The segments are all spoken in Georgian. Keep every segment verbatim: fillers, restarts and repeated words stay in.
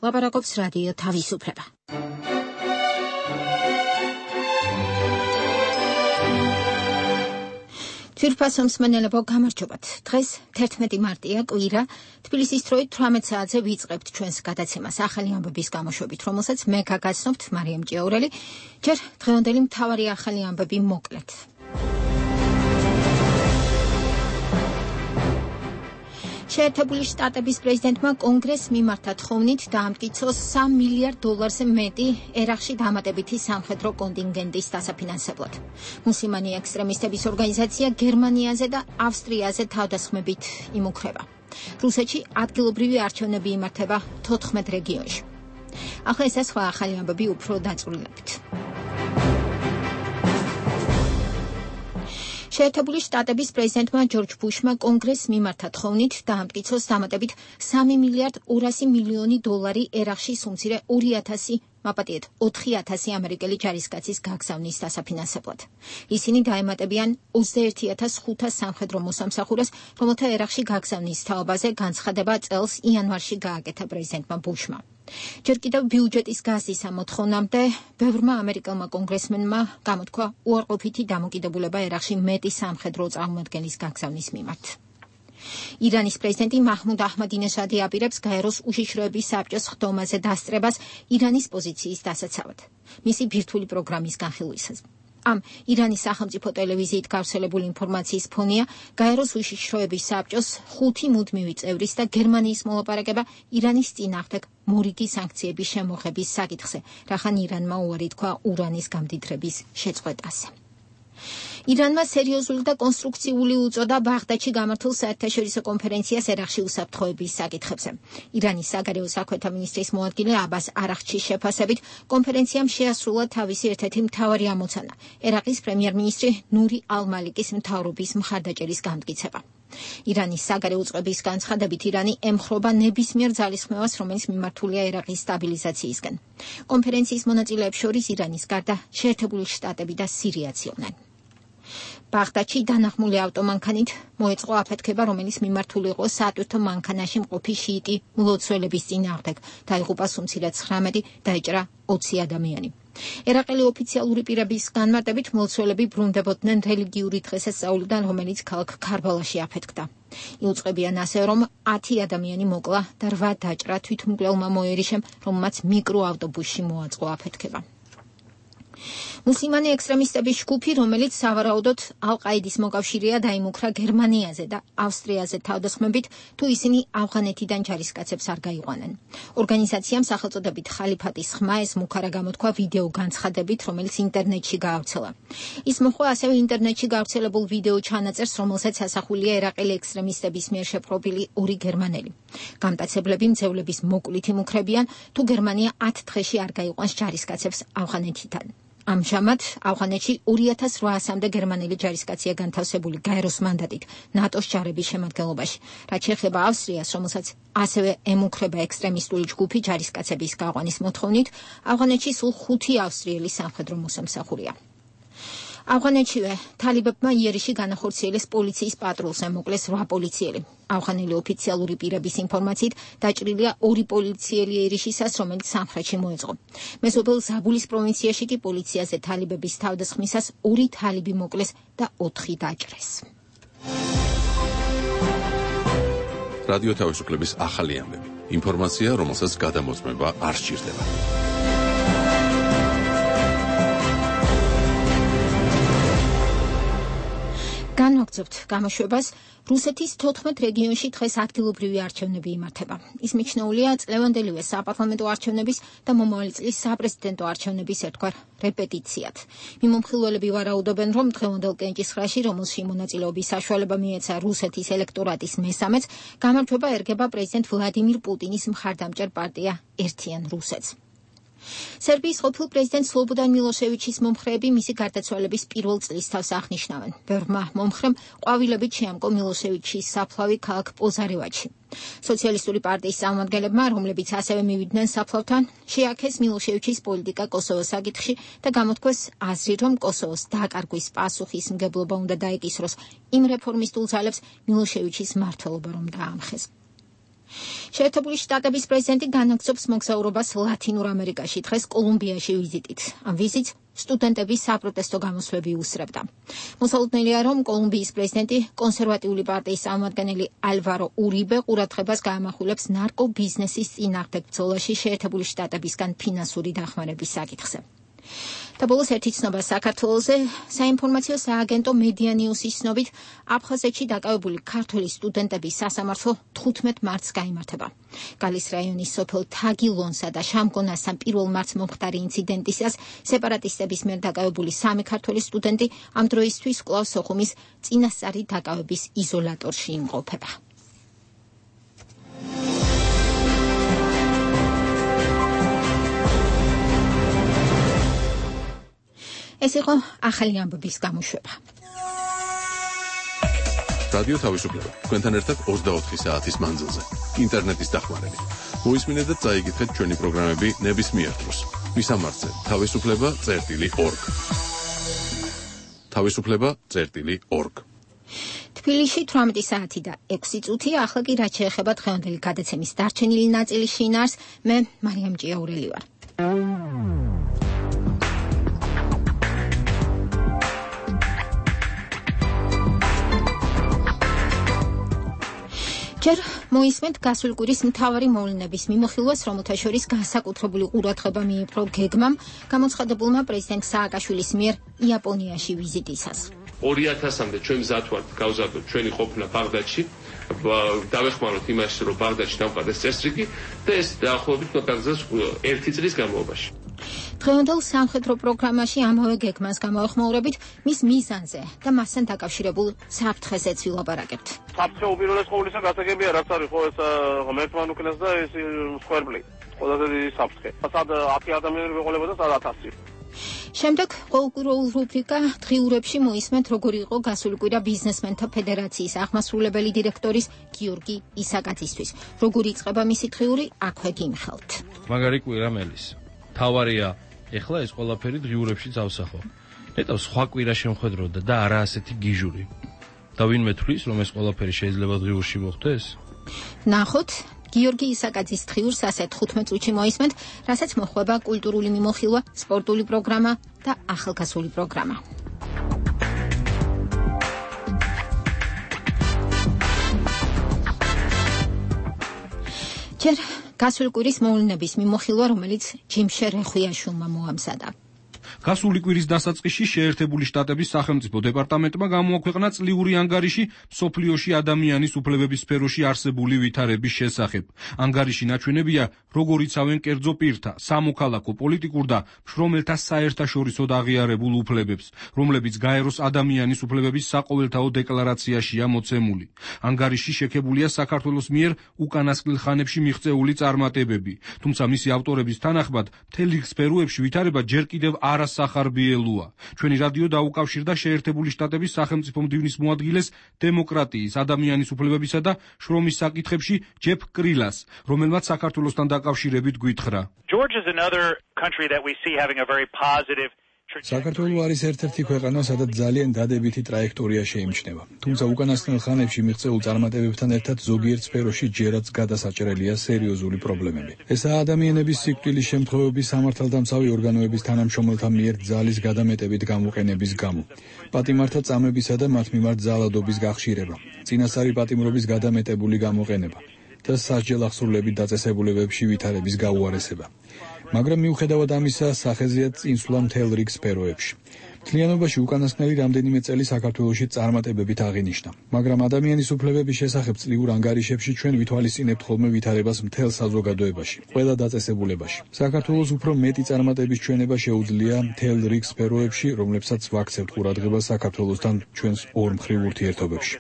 ლაპარაკობს რადიო თავისუფლება. თვირფასო მსმენელებო, გამარჯობათ. დღეს თერთმეტი მარტია, კვირა, თბილისის დროით თვრამეტ საათზე ვიწყებთ ჩვენს გადაცემას ახალი ამბების გამოშვებით, რომელსაც მე გაგაცნობთ მარიამ ჭიაურელი. ჯერ დღევანდელი მთავარი ახალი ამბები მოკლედ. შეერთებული შტატების პრეზიდენტმა კონგრესს მიმართა თხოვნით დაამტკიცოს სამ მილიარდ დოლარზე მეტი ერაყში დამატებითი სამხედრო კონტინგენტის დასაფინანსებლად. მუსლიმანი ექსტრემისტების ორგანიზაცია გერმანიაზე და ავსტრიაზე თავდასხმებით იმუქრება. რუსეთში ადგილობრივი არჩევნები იმართება თოთხმეტ რეგიონში. ახლა ეს სხვა ახალი ამბები უფრო დაწვრილებით. შეერთებული შტატების პრეზიდენტმა ჯორჯ ბუშმა კონგრესს მიმართა თხოვნით დაამტკიცოს დამატებით სამი მილიარდ ორასი მილიონი დოლარი ერაყში სუმცირე ორი ათასი მაპატიეთ ოთხი ათასი ამერიკელი ჯარისკაცის გაგზავნის დასაფინანსებლად. ისინი დაემატებიან ოცდაერთი ათას ხუთას სამხედრო მოსამსახურეს, რომელთა ერაყში გაგზავნის თაობაზე განცხადება წელს იანვარში გააკეთა პრეზიდენტმა ბუშმა. ჯერ კიდევ ბიუჯეტის გაზის ამოთხოვნამდე ბევრმა ამერიკელმა კონგრესმენმა გამოთქვა უარყოფითი დამოკიდებულება ერაყში მეტი სამხედრო წარმომადგენლის გაგზავნის მიმართ. ირანის პრეზიდენტი მაჰმუდ აჰმადინეჟადი აპირებს გაეროს უშიშროების საბჭოს ხდომაზე დასწრებას ირანის პოზიციის დასაცავად, მისი ბირთვული პროგრამის განხილვისას. ამ ირანის სახელმწიფო ტელევიზიით გავრცელებული ინფორმაციის ფონია გაეროს უშიშროების საბჭოს ხუთი მუდმივი წევრის და გერმანიის მოლაპარაკება ირანის წინააღმდეგ მორიგი სანქციების შემოღების საკითხზე, რახან ირანმა უარი თქვა ურანის გამდიდრების შეწყვეტაზე. ირანმა სერიოზული და კონსტრუქციული უწოდა ბაღდადში გამართულ საერთაშორისო კონფერენციას ერაყში უსაფრთხოების საკითხებზე. ირანის საგარეო საქმეთა მინისტრის მოადგილე აბას არაღჩის შეფასებით, კონფერენციამ შეასრულა თავისი ერთ-ერთი მთავარი ამოცანა, ერაყის პრემიერ-მინისტრი ნური ალ-მალიკის მთავრობის მხარდაჭერის განმტკიცება. ირანის საგარეო წყების განცხადებით, ირანი ემხრობა ნებისმიერ ძალისხმევას, რომელიც მიმართულია ერაყის სტაბილიზაციისკენ. კონფერენციის მონაწილეებს შორის ირანის გარდა შეერთებული შტატები და სირიაც იყვნენ. ბაღდადში დანახმული ავტომანქანით მოეწყო აფეთქება, რომელიც მიმართული იყო საატვირთო მანქანაში მყოფი შიიტი მლოცველების წინააღმდეგ. დაიღუპა სუმცირად ცხრამეტი, დაეჭრა ოცი ადამიანი. ერაყელი ოფიციალური პირების განმარტებით, მლოცველები ბრუნდებოდნენ რელიგიური დღესასწაულიდან, რომელიც ქალაქ ქარბალაში აფეთქდა. იუწყებიან ასე, რომ ათი ადამიანი მოკლა და რვა დაჭრა თვითმკვლელმა მოერიშემ, რომელმაც მიკროავტობუსში მოაწყო აფეთქება. მუსლიმანი ექსტრემისტების ჯგუფი, რომელიც სავარაუდოდ ალ-ყაიდის მოკავშირეა, დაიმუქრა გერმანიაზე და ავსტრიაზე თავდასხმებით, თუ ისინი ავღანეთიდან ჯარისკაცებს არ გაიყვანენ. ორგანიზაციამ სახელწოდებით ხალიფატის ხმა ეს მუქარა გამოთქვა ვიდეო განცხადებით, რომელიც ინტერნეტში გაავრცელა. ის მოჰყვა ასევე ინტერნეტში გავრცელებულ ვიდეო ჩანაწერს, რომელსაც ასახულია ერაყელი ექსტრემისტების მიერ შეპყრობილი ორი გერმანელი. გამტაცებლები მძევლების მოკლით იმუქრებიან, თუ გერმანია ათ დღეში არ გაიყვანს ჯარისკაცებს ავღანეთიდან. ამჟამად ავღანეთში ორი ათას რვაასამდე გერმანელი ჯარისკაცია განთავსებული გაეროს მანდატით ნატოს ჯარების შემადგენლობაში, რაც შეეხება ავსტრიას, რომელსაც ასევე ემუქრება ექსტრემისტული ჯგუფი ჯარისკაცების გაყვანის მოთხოვნით, ავღანეთში სულ ხუთი ავსტრიელი სამხედრო მოსამსახურია. ავღანეთშივე თალიბებმა იერიში განახორციელეს პოლიციის პატრულზე, მოკლეს რვა პოლიციელი. ავღანელი ოფიციალური პირების ინფორმაციით დაჭრილია ორი პოლიციელი იერიშისას, რომელიც სამხრეთში მოეწყო. მეზობელ ზაბულის პროვინციაში კი პოლიციაზე თალიბების თავდასხმისას ორი თალიბი მოკლეს და ოთხი დაჭრეს. რადიო თავისუფლების ახალი ამბები. ინფორმაცია, რომელსაც გადამოწმება არ სჭირდება. განვაგრძობთ გამოშვებას. რუსეთის თოთხმეტ რეგიონში დღეს ადგილობრივი არჩევნები იმართება. ის მიჩნეულია წლევანდელივე საპარლამენტო არჩევნების და მომავალი წლის საპრეზიდენტო არჩევნების ერთგვარ რეპეტიციად. მიმომხილველები ვარაუდობენ, რომ დღევანდელ კენჭისყრაში, რომელში მონაწილეობის საშუალება მიეცა რუსეთის ელექტორატის მესამეც, გამარჯვება ერგება პრეზიდენტ ვლადიმირ პუტინის მხარდამჭერ პარტია ერთიან რუსეთს. სერბიის ყოფილ პრეზიდენტ სლობოდან მილოშევიჩის მომხრეები მისი გარდაცვალების პირველ წლისთავს აღნიშნავენ. ბევრმა მომხრემ ყვავილებით შეამკო მილოშევიჩის საფლავი ქალაქ პოზარევაჩში. სოციალისტური პარტიის წარმომადგენლებმა, რომლებიც ასევე მივიდნენ საფლავთან, შეაქეს მილოშევიჩის პოლიტიკა კოსოვოს საკითხში და გამოთქვეს აზრი, რომ კოსოვოს დაკარგვის პასუხისმგებლობა უნდა დაეკისროს იმ რეფორმისტულ ძალებს, მილოშევიჩის მმართველობა რომ დაამხეს. შეერთებული შტატების პრეზიდენტი განაგრძობს მოგზაურობას ლათინურ ამერიკაში, დღეს კოლუმბიაში ვიზიტით. ამ ვიზიტს სტუდენტების საპროტესტო გამოსვლები უსწრებდა. მოსალოდნელია, რომ კოლუმბიის პრეზიდენტი კონსერვატიული პარტიის წარმომადგენელი ალვარო ურიბე ყურადღებას გაამახვილებს ნარკობიზნესის წინააღმდეგ ბრძოლაში შეერთებული შტატებისგან ფინანსური დახმარების საკითხზე. და ბოლოს ერთი ცნობა საქართველოზე. საინფორმაციო სააგენტო მედია ნიუსის ცნობით, აფხაზეთში დაკავებული ქართველი სტუდენტების სასამართლო თხუთმეტ მარტს გაიმართება. გალის რაიონის სოფელ თაგილონსა და შამგონასთან პირველ მარტს მომხდარი ინციდენტისას სეპარატისტების მიერ დაკავებული სამი ქართველი სტუდენტი ამ დროისთვის კვლავ სოხუმის წინასწარი დაკავების იზოლატორში იმყოფება. ეს იყო ახალი ამბების გამოშვება. რადიო თავისუფლება. თქვენთან ერთად ოცდაოთხი საათის მანძილზე. ინტერნეტის დახმარებით. მოისმინეთ და წაიგეთ ჩვენი პროგრამები ნებისმიერ დროს. მისამართზე თავისუფლება წერტილი ორგ. თავისუფლება წერტილი ორგ. თბილისში თვრამეტი საათი და ექვსი წუთია. ახლა კი რაც შეეხება დღევანდელი გადაცემის დარჩენილი ნაწილის შინაარს, მე მარიამ ჭიაურელი ვარ. ჯერ მოისმენთ გასული კვირის მთავარი მოვლენების მიმოხილვას, რომელთა შორის განსაკუთრებული ყურადღება მიიპყრო გეგმამ, გამოცხადებულმა პრეზიდენტ სააკაშვილის მიერ იაპონიაში ვიზიტისას. ორი ათასამდე ჩვენ მზად ვართ გავზარდოთ ჩვენი ყოფნა ბაღდადში, დავეხმაროთ იმაში, რომ ბაღდადში დავყავდეს წესრიგი და ეს დაახლოებით მოგაგრძელს ერთი წლის განმავლობაში. დღევანდელ სამხედრო პროგრამაში ამავე გეგმას გამოეხმაურებით მის მიზანზე და მასთან დაკავშირებულ საფრთხეზეც ვილაპარაკებთ. საფრთხე უპირველეს ყოვლისა გასაგებია, რაც არის ხო ეს ღმერთთან უკნეს და ეს სკვერბლი. ყველაზე დიდი საფრთხე. სად ათი ადამიანი ვეყოლებოდა და სად ათასი. შემდეგ ყოველკვირეულ რუბრიკა დღიურებში მოისმენთ, როგორი იყო გასული კვირა ბიზნესმენთა ფედერაციის აღმასრულებელი დირექტორის გიორგი ისაკაძისთვის. როგორი იწყება მისი დღიური, აქვე გიმხელთ. მაგარი კვირა მელის. თავარია ეხლა ეს ყველაფერი დღიურებში წავსახო. ნეტავ სხვა კვირა შემხედროდა და არა ასეთი გიჟური. და ვინმე თვლის, რომ ეს ყველაფერი შეიძლება დღიურში მოხდეს? ნახოთ, გიორგი ისაკაძის დღიურს ასე თხუთმეტ წუთში მოისმენთ, რასაც მოხვება კულტურული მიმოხილვა, სპორტული პროგრამა და ახალგაზრდული პროგრამა. ჯერ გასული კვირის მოვლენების მიმოხილვა, რომელიც ჯიმშე რეხვიაშვილმა მოამზადა. გასული კვირის დასაწყისში შეერთებული შტატების სახელმწიფო დეპარტამენტმა გამოაქვეყნა წლიური ანგარიში მსოფლიოში ადამიანის უფლებების სფეროში არსებული ვითარების შესახებ. ანგარიში ნაჩვენებია, როგორ იცავენ კერძო პირთა, სამოქალაქო, პოლიტიკურ და მშრომელთა საერთაშორისო აღიარებულ უფლებებს, რომლებიც გაეროს ადამიანის უფლებების საყოველთაო დეკლარაციაშია მოცემული. ანგარიში შექებულია საქართველოს მიერ უკანასკნელ ხანებში მიღწეული წარმატებები, თუმცა მისი ავტორების თანახმად მთელი სფეროებში ვითარება ჯერ კიდევ არასახარბიელოა. ჩვენი რადიო დაუკავშირდა შეერთებული შტატების სახელმწიფო მდივნის მოადგილეს დემოკრატიის, ადამიანის უფლებებისა და შრომის საკითხებში ჯეფ კრილას, რომელმაც საქართველოსთან დაკავშირებით გვითხრა. საქართველო არის ერთ-ერთი ქვეყანა, სადაც ძალიან დადებითი ტრაექტორია შეიმჩნევა. თუმცა უკანასკნელ ხანებში მიღწეულ წარმატებებთან ერთად ზოგიერთ სფეროში ჯერაც გადასაჭრელია სერიოზული პრობლემები. ესაა ადამიანების სიკვდილის შემთხვევების სამართალდამცავი ორგანოების თანამშრომელთა მიერ ძალის გადამეტებით გამოყენების გამო, პატიმართა წამებისა და მათ მიმართ ძალადობის გახშირება, წინასწარი პატიმრობის გადამეტებული გამოყენება და სასჯელ აღსრულებით დაწესებულებებში ვითარების გაუარესება. მაგრამ მიუხედავად ამისა, სახეზეა წინსვლა მთელ რიგ სფეროებში. მთლიანობაში უკანასკნელი რამდენიმე წელი საქართველოში წარმატებებით აღინიშნა, მაგრამ ადამიანის უფლებების შესახებ წლიურ ანგარიშებში ჩვენ ვითვალისწინებთ ხოლმე ვითარებას მთელ საზოგადოებაში, ყველა დაწესებულებაში. საქართველოს უფრო მეტი წარმატების ჩვენება შეუძლია მთელ რიგ სფეროებში, რომლებსაც ვაქცევთ ყურადღებას საქართველოსთან ჩვენს ორმხრივ ურთიერთობებში.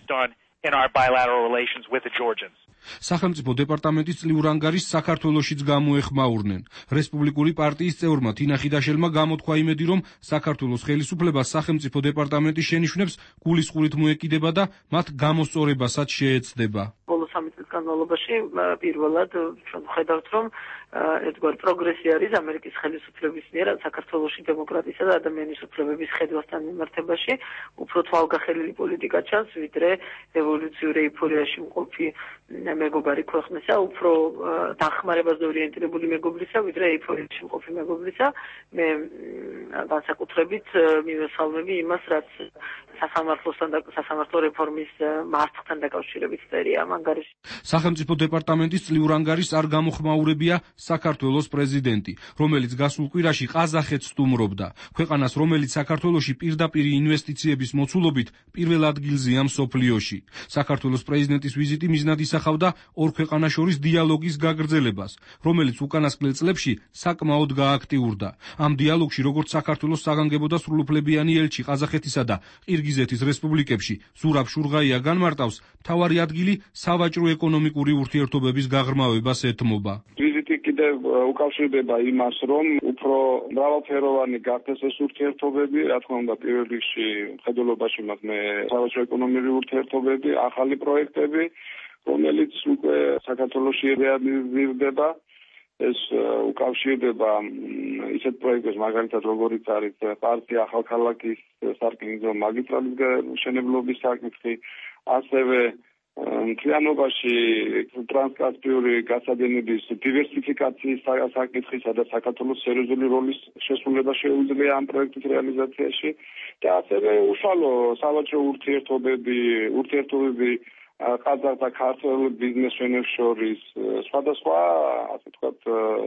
სახელმწიფო დეპარტამენტის წლიურ ანგარიშს საქართველოშიც გამოეხმაურნენ. რესპუბლიკური პარტიის წევრმა თინა ხიდაშელმა გამოთქვა იმედი, რომ საქართველოს ხელისუფლებას სახელმწიფო დეპარტამენტი შენიშვნებს გულისყურით მოეკიდება და მათ გამოსწორებასაც შეეცდება. ბოლო სამი წლის განმავლობაში პირველად ჩვენ ვხედავთ, რომ ერთგვარ პროგრესი არის ამერიკის ხელისუფლების მიერ საქართველოში დემოკრატიისა და ადამიანის უფლებების ხედვასთან მიმართებაში უფრო თვალგახელილი პოლიტიკა ჩანს, ვიდრე ევოლუციური ეიფორიაში მყოფი მეგობარი ქვეყნისა, უფრო დახმარებას ორიენტირებული მეგობრისა, ვიდრე ეიფორიაში მყოფი მეგობრისა. მე განსაკუთრებით მივესალმები იმას, რაც სასამართლოსთან და სასამართლო რეფორმის მარცხთან დაკავშირებით წერია ამ ანგარიში. სახელმწიფო დეპარტამენტის წლიურ ანგარიშს არ გამოხმაურებია საქართველოს პრეზიდენტი, რომელიც გასულ კვირაში ყაზახეთს სტუმრობდა. ქვეყანას, რომელიც საქართველოში პირდაპირ ინვესტიციების მოცულობით პირველ ადგილზეა მსოფლიოში. საქართველოს პრეზიდენტის ვიზიტი მიზნად ისახავდა ორ ქვეყანას შორის დიალოგის გაგრძელებას, რომელიც უკანასკნელ წლებში საკმაოდ გააქტიურდა. ამ დიალოგში, როგორც საქართველოს საგანგებო და სრულუფლებიანი ელჩი ყაზახეთისა და ყირგიზეთის რესპუბლიკებში ზურაბ შურღაია განმარტავს, მთავარი ადგილი სავაჭრო-ეკონომიკური ურთიერთობების გაღრმავებას ეთმობა. ვიზიტი კიდევ უკავშირდება იმას, რომ უფრო მრავალფეროვანი გახდეს ეს ურთიერთობები, რა თქმა უნდა, პირველ რიგში მხედველობაში მათ მე სავაჭრო-ეკონომიკური ურთიერთობები, ახალი პროექტები, რომელიც უკვე საქართველოში რეალიზირდება. ეს უკავშირდება ისეთ პროექტებს, მაგალითად როგორიც არის პარტია ახალქალაქის სარკინიგზო მაგისტრალის მშენებლობის საკითხი, ასევე მთლიანობაში ტრანსკასპიური გასადინების დივერსიფიკაციის საკითხი, სადაც საქართველოს სერიოზული როლის შესრულება შეუძლია ამ პროექტის რეალიზაციაში და ასევე უშუალო სავაჭრო ურთიერთობები, ურთიერთობები ყაზახ და ქართველ ბიზნესმენებს შორის სხვადასხვა, ასე ვთქვათ,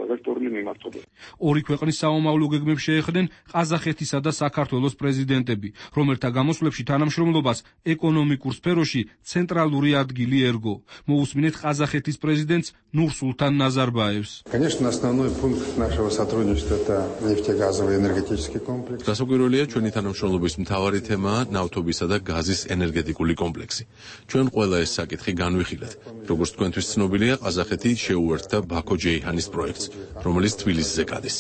ვექტორული მიმართულებით. ორი ქვეყნის საომავლო გეგმებს შეეხდნენ ყაზახეთისა და საქართველოს პრეზიდენტები, რომელთა გამოსვლებში თანამშრომლობას ეკონომიკურ სფეროში ცენტრალური ადგილი ერგო. მოусმინეთ ყაზახეთის პრეზიდენტს ნურსულთან ნაზარბაევს. Конечно, основной пункт нашего сотрудничества это нефтегазовый энергетический комплекс. გასაკვირველია, ჩვენი თანამშრომლობის მთავარი თემაა ნავთობისა და გაზის ენერგეტიკული კომპლექსი. ჩვენ ყველა ეს საკითხი განვიხილეთ. როგორც თქვენთვის ცნობილია, ყაზახეთი შეუერთდა ბაქო-ჯეიჰანის პროექტს, რომელიც თბილისზე გადის.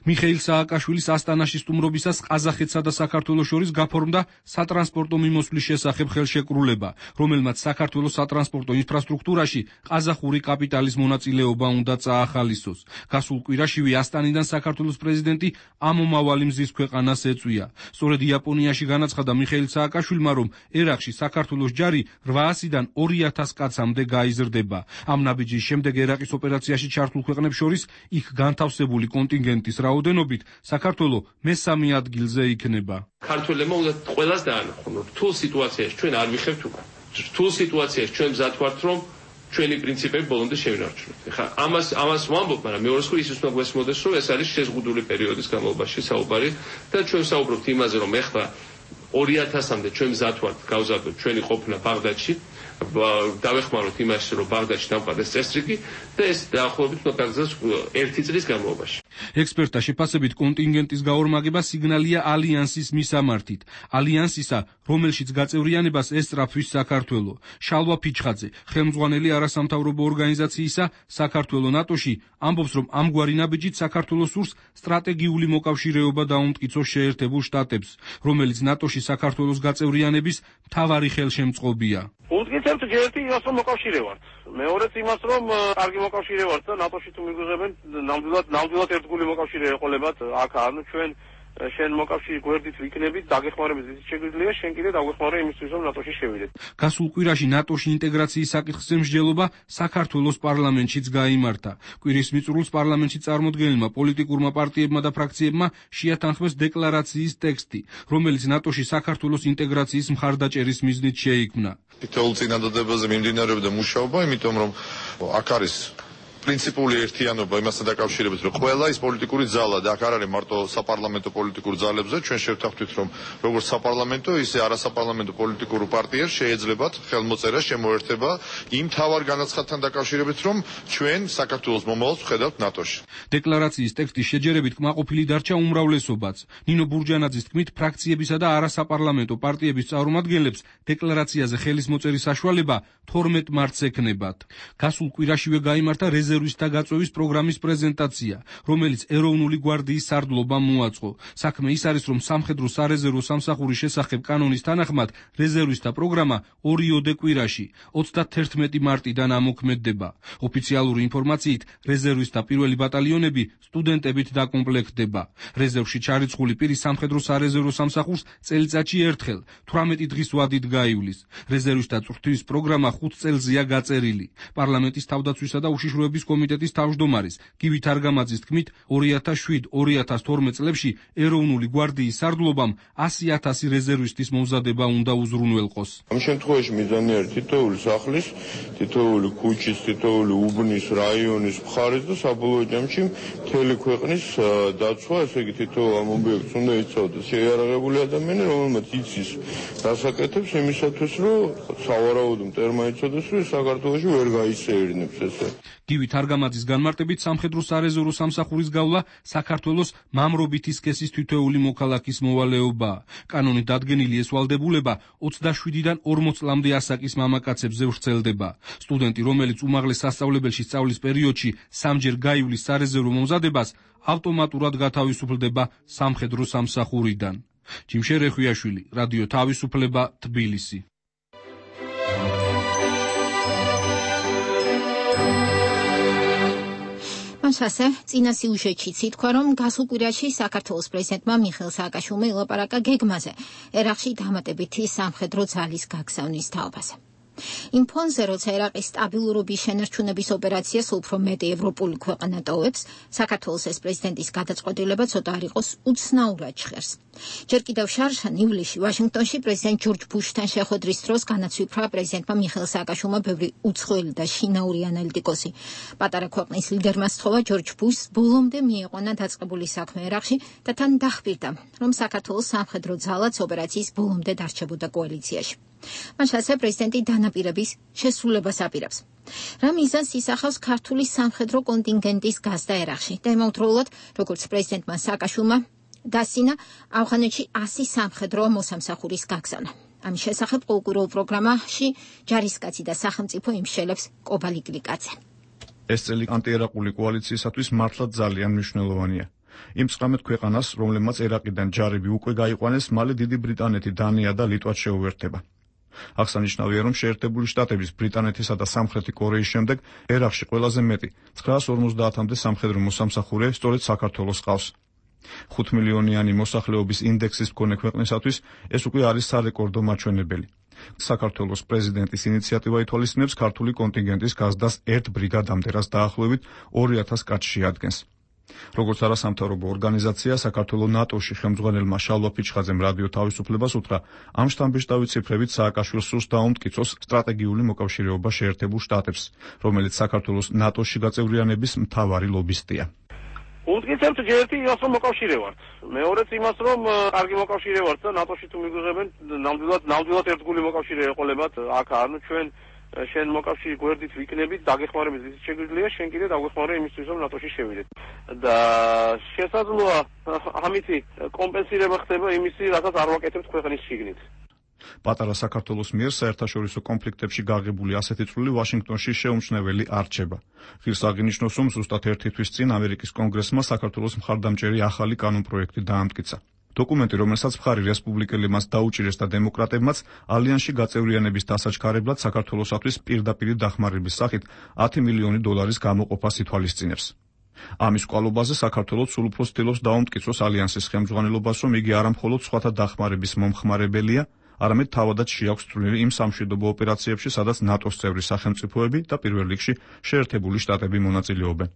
მიხეილ სააკაშვილის ასტანაში სტუმრობისას ყაზახეთსა და საქართველოს შორის გაფორმდა სატრანსპორტო მიმოსვლის შესახებ ხელშეკრულება, რომელმაც საქართველოს სატრანსპორტო ინფრასტრუქტურაში ყაზახური კაპიტალის მონაწილეობა უნდა წაახალისოს. გასულ კვირაშივე ასტანიდან საქართველოს პრეზიდენტი ამომავალი მზის ქვეყანას ეწვია. სწორედ იაპონიაში განაცხადა მიხეილ სააკაშვილმა, რომ ერაყში საქართველოს ჯარი რვაასიდან ორი ათას კაცამდე გაიზრდება. ამ ნაბიჯის შემდეგ ერაყის ოპერაციაში ჩართულ ქვეყნებს შორის იქ განთავსებული კონტინგენტის რაოდენობით საქართველო მესამე ადგილზე იქნება. ქართველებმა უნდა ყველას დაანახონ, რომ რთულ სიტუაციაში ჩვენ არ ვიხებთ უკვე. რთულ სიტუაციაში ჩვენ მზად ვართ, რომ ჩვენი პრინციპები ბოლომდე შევინარჩუნოთ. ეხლა ამას ამას ვამბობ, მაგრამ მეორე მხრივ ის უნდა გვესმოდეს, რომ ეს არის შეზღუდული პერიოდის განმავლობაში საუბარი და ჩვენ საუბრობთ იმაზე, რომ ეხლა ორი ათასამდე ჩვენ მზად ვართ გავზარდოთ ჩვენი ყოფნა ბაღდადში. დავეხმაროთ იმაში, რომ ბაღდადში დამყარდეს წესრიგი და ეს დაახლოებით უნდა გაგრძელდეს ერთი წლის განმავლობაში. ექსპერტთა შეფასებით კონტინგენტის გაორმაგება სიგნალია ალიანსის მისამართით. ალიანსისა, რომელშიც გაწევრიანებას ესწრაფვის საქართველო. შალვა ფიჩხაძე, ხელმძღვანელი არასამთავრობო ორგანიზაციისა საქართველო ნატოში, ამბობს, რომ ამგვარი ნაბიჯით საქართველოს სურს სტრატეგიული მოკავშირეობა დაუმტკიცოს შეერთებულ შტატებს, რომელიც ნატოში საქართველოს გაწევრიანების მთავარი ხელშემწყობია. უთგიცებთ ერთი იმას, რომ მოკავშირე ვართ. მეორეც იმას, რომ კარგი მოკავშირე ვართ და ნატოში თუ მიგვიღებენ, ნამდვილად ნამდვილად ერთგული მოკავშირე ეყოლებათ აქ, ანუ ჩვენ შენ მოკავშირე გვერდით ვიქნებით, დაგეხმარებით ისიც შეგვიძლია, შენ კიდე დაგვეხმარე იმისთვის, რომ ნატოში შევიდეთ. გასულ კვირაში ნატოში ინტეგრაციის საკითხზე მსჯელობა საქართველოს პარლამენტშიც გაიმართა. კვირის მიწურულს პარლამენტში წარმოდგენილმა პოლიტიკურმა პარტიებმა და ფრაქციებმა შეათანხმეს დეკლარაციის ტექსტი, რომელიც ნატოში საქართველოს ინტეგრაციის მხარდაჭერის მიზნით შეიქმნა. თითოეულ წინადადებაზე მიმდინარეობდა მუშაობა, იმიტომ რომ აქ არის პრინციპული ერთიანობა იმასთან დაკავშირებით, რომ ყველა ის პოლიტიკური ძალა და აქ არ არის მარტო საპარლამენტო პოლიტიკურ ძალებზე, ჩვენ შევთანხმდით, რომ როგორც საპარლამენტო, ისე არასაპარლამენტო პოლიტიკურ პარტიებს შეეძლებათ ხელმოწერა, შემოერთება იმ თავარ განაცხადთან დაკავშირებით, რომ ჩვენ საქართველოს მომავალს ვხედავთ ნატოში. დეკლარაციის ტექსტის შეჯერებით კმაყოფილი დარჩა უმრავლესობაც. ნინო ბურჯანაძის თქმით, ფრაქციებისა და არასაპარლამენტო პარტიების წარმომადგენლებს დეკლარაციაზე ხელის მოწერის საშუალება თორმეტ მარტს ექნებათ. გასულ კვირაშივე გაიმართა რეზერვული რეზერვისტთა გაწვევის პროგრამის პრეზენტაცია, რომელიც ეროვნული გვარდიის სარდლობამ მოაწყო. საქმე ის არის, რომ სამხედრო სარეზერვო სამსახურის შესახებ კანონის თანახმად რეზერვისტთა პროგრამა ორიოდე კვირაში, ოცდათერთმეტი მარტიდან ამოქმედდება. ოფიციალური ინფორმაციით, რეზერვისტთა პირველი ბატალიონები სტუდენტებით დაკომპლექტდება. რეზერვში ჩარიცხული პირი სამხედრო სარეზერვო სამსახურს წელიწადში ერთხელ, თვრამეტი დღის ვადით გაივლის. რეზერვისტთა წვრთნის პროგრამა ხუთ წელზეა გაწერილი. პარლამენტის თავდაცვისა და უშიშროების კომიტეტის თავმჯდომარის გივი თარგამაძის თქმით, ორი ათას შვიდ ორი ათას თორმეტ წლებში ეროვნული გვარდიის სარდლობამ ასი ათასი რეზერვისტის მომზადება უნდა უზრუნველყოს. ამ შემთხვევაში მიზანი არის თითოეული სახლის, თითოეული ქუჩის, თითოეული უბნის, რაიონის, მხარის და საბოლოო ჯამში მთელი ქვეყნის დაცვა, ესე იგი თითოეულ ამ ობიექტს უნდა იცავდეს შეიარაღებული ადამიანი, რომელმაც იცის დასაკეთებს იმისათვის, რომ სავარაუდო მტერმა იცოდეს, რომ საქართველოში ვერ გაისეირნებს ესე. გივი თარგამაძის განმარტებით სამხედრო სარეზერვო სამსახურის გავლა საქართველოს მამრობითი სქესის თითოეული მოქალაქის მოვალეობაა. კანონით დადგენილი ეს ვალდებულება ოცდაშვიდიდან ორმოც წლამდე ასაკის მამაკაცებზე ვრცელდება. სტუდენტი, რომელიც უმაღლეს სასწავლებელში სწავლის პერიოდში სამჯერ გაივლის სარეზერვო მომზადებას, ავტომატურად გათავისუფლდება სამხედრო სამსახურიდან. ჯიმშე რეხვიაშვილი, რადიო თავისუფლება, თბილისი. ასე, წინა სიუჟეტშიც ითქვა, რომ გასულ კვირაში საქართველოს პრეზიდენტმა მიხეილ სააკაშვილმა ელაპარაკა გეგმაზე, ერაყში დამატებითი სამხედრო ძალის გაგზავნის თაობაზე. იმ ფონზე, როცა ერაყის სტაბილურობის შენარჩუნების ოპერაციას უფრო მეტი ევროპული ქვეყანა ტოვებს, საქართველოს ეს პრეზიდენტის გადაწყვეტილება ცოტა არ იყოს უცნაურად ჟღერს. ჯერ კიდევ შარშან ივლისში ვაშინგტონში პრეზიდენტ ჯორჯ ბუშთან შეხვედრის დროს განაცვიფრა პრეზიდენტმა მიხეილ სააკაშვილმა ბევრი უცხოელი და შინაური ანალიტიკოსი. პატარა ქვეყნის ლიდერმა სთხოვა ჯორჯ ბუშს ბოლომდე მიიყვანა დაწყებული საქმე ერაყში და თან დახბირდა, რომ საქართველოს სამხედრო ძალაც ოპერაციის ბოლომდე დარჩებოდა კოალიციაში. მას ასე პრეზიდენტი დანაპირების შესრულებას აპირებს. რა მიზანს ისახავს ქართული სამხედრო კონტინგენტის გაზდა ერაყში და იმავდროულად, როგორც პრეზიდენტმა სააკაშვილმა დასინა ავღანეთში ასი სამხედრო მოსამსახურის გაგზავნა. ამის შესახებ ყოველკვირეულ პროგრამაში ჯარისკაცი და სახელმწიფო იმშელებს კობალი გლიკაძე. ეს წელი ანტიერაყული კოალიციისათვის მართლაც ძალიან მნიშვნელოვანია. იმ ცხრამეტ ქვეყანას, რომლებმაც ერაყიდან ჯარები უკვე გაიყვანეს, მალე დიდი ბრიტანეთი, დანია და ლიტვა შეუერთდება. აღსანიშნავია, რომ შეერთებული შტატების, ბრიტანეთისა და სამხრეთი კორეის შემდეგ ერაყში ყველაზე მეტი ცხრაას ორმოცდაათამდე სამხედრო მოსამსახურე სწორედ საქართველოს ყავს. ხუთ მილიონიანი მოსახლეობის ინდექსის მქონე ქვეყნისათვის ეს უკვე არის სარეკორდო მაჩვენებელი. საქართველოს პრეზიდენტის ინიციატივა ითვალისწინებს ქართული კონტინგენტის გაზდას ერთ ბრიგადამდე, რაც დაახლოებით ორი ათას კაცს შეადგენს. როგორც არასამთავრობო ორგანიზაცია, საქართველოს ნატოში ხელმძღვანელმა შალვა ფიჩხაძემ რადიო თავისუფლებას უთხრა, ამ შთამბეჭდავით ციფრებით სააკაშვილს სურს დაუმტკიცოს სტრატეგიული მოკავშირეობა შეერთებულ შტატებს, რომელიც საქართველოს ნატოში გაწევრიანების მთავარი ლობისტია. უმტკიცებთ ერთი იმას, რომ მოკავშირე ვართ. მეორეც იმას, რომ კარგი მოკავშირე ვართ და ნატოში თუ მიგვიღებენ, ნამდვილად ნამდვილად ერთგული მოკავშირე ეყოლებათ აქ, ანუ ჩვენ შენ მოკავშირე გვერდით ვიქნებით, დაგეხმარებით ის შეგვიძლია, შენ კიდე დაგვეხმარე იმისთვის, რომ ნატოში შევიდეთ. და შესაძლოა ამითი კომპენსირება ხდება იმისი, რასაც არ ვაკეთებთ ქვეყნის შიგნით. პატარა საქართველოს მიერ საერთაშორისო კონფლიქტებში გაღებული ასეთი წვლილი ვაშინგტონში შეუმჩნეველი არ რჩება. ღირს აღინიშნოს, რომ ზუსტად ერთი თვის წინ ამერიკის კონგრესმა საქართველოს მხარდამჭერი ახალი კანონპროექტი დაამტკიცა. დოკუმენტი, რომელსაც მხარი რესპუბლიკელებმაც დაუჭირეს და დემოკრატებმაც, ალიანსში გაწევრიანების დასაჩქარებლად საქართველოსათვის პირდაპირ დახმარების სახით ათი მილიონი დოლარის გამოყოფას ითვალისწინებს. ამის კვალობაზე საქართველოს სულ უფრო ცდილობს დაუმტკიცოს ალიანსის ხელმძღვანელობას, რომ იგი არა მხოლოდ სხვათა დახმარების მომხმარებელია, არამედ თავადაც შეაქვს წვლილი იმ სამშვიდობო ოპერაციებში, სადაც ნატოს წევრი სახელმწიფოები და პირველ რიგში შეერთებული შტატები მონაწილეობენ.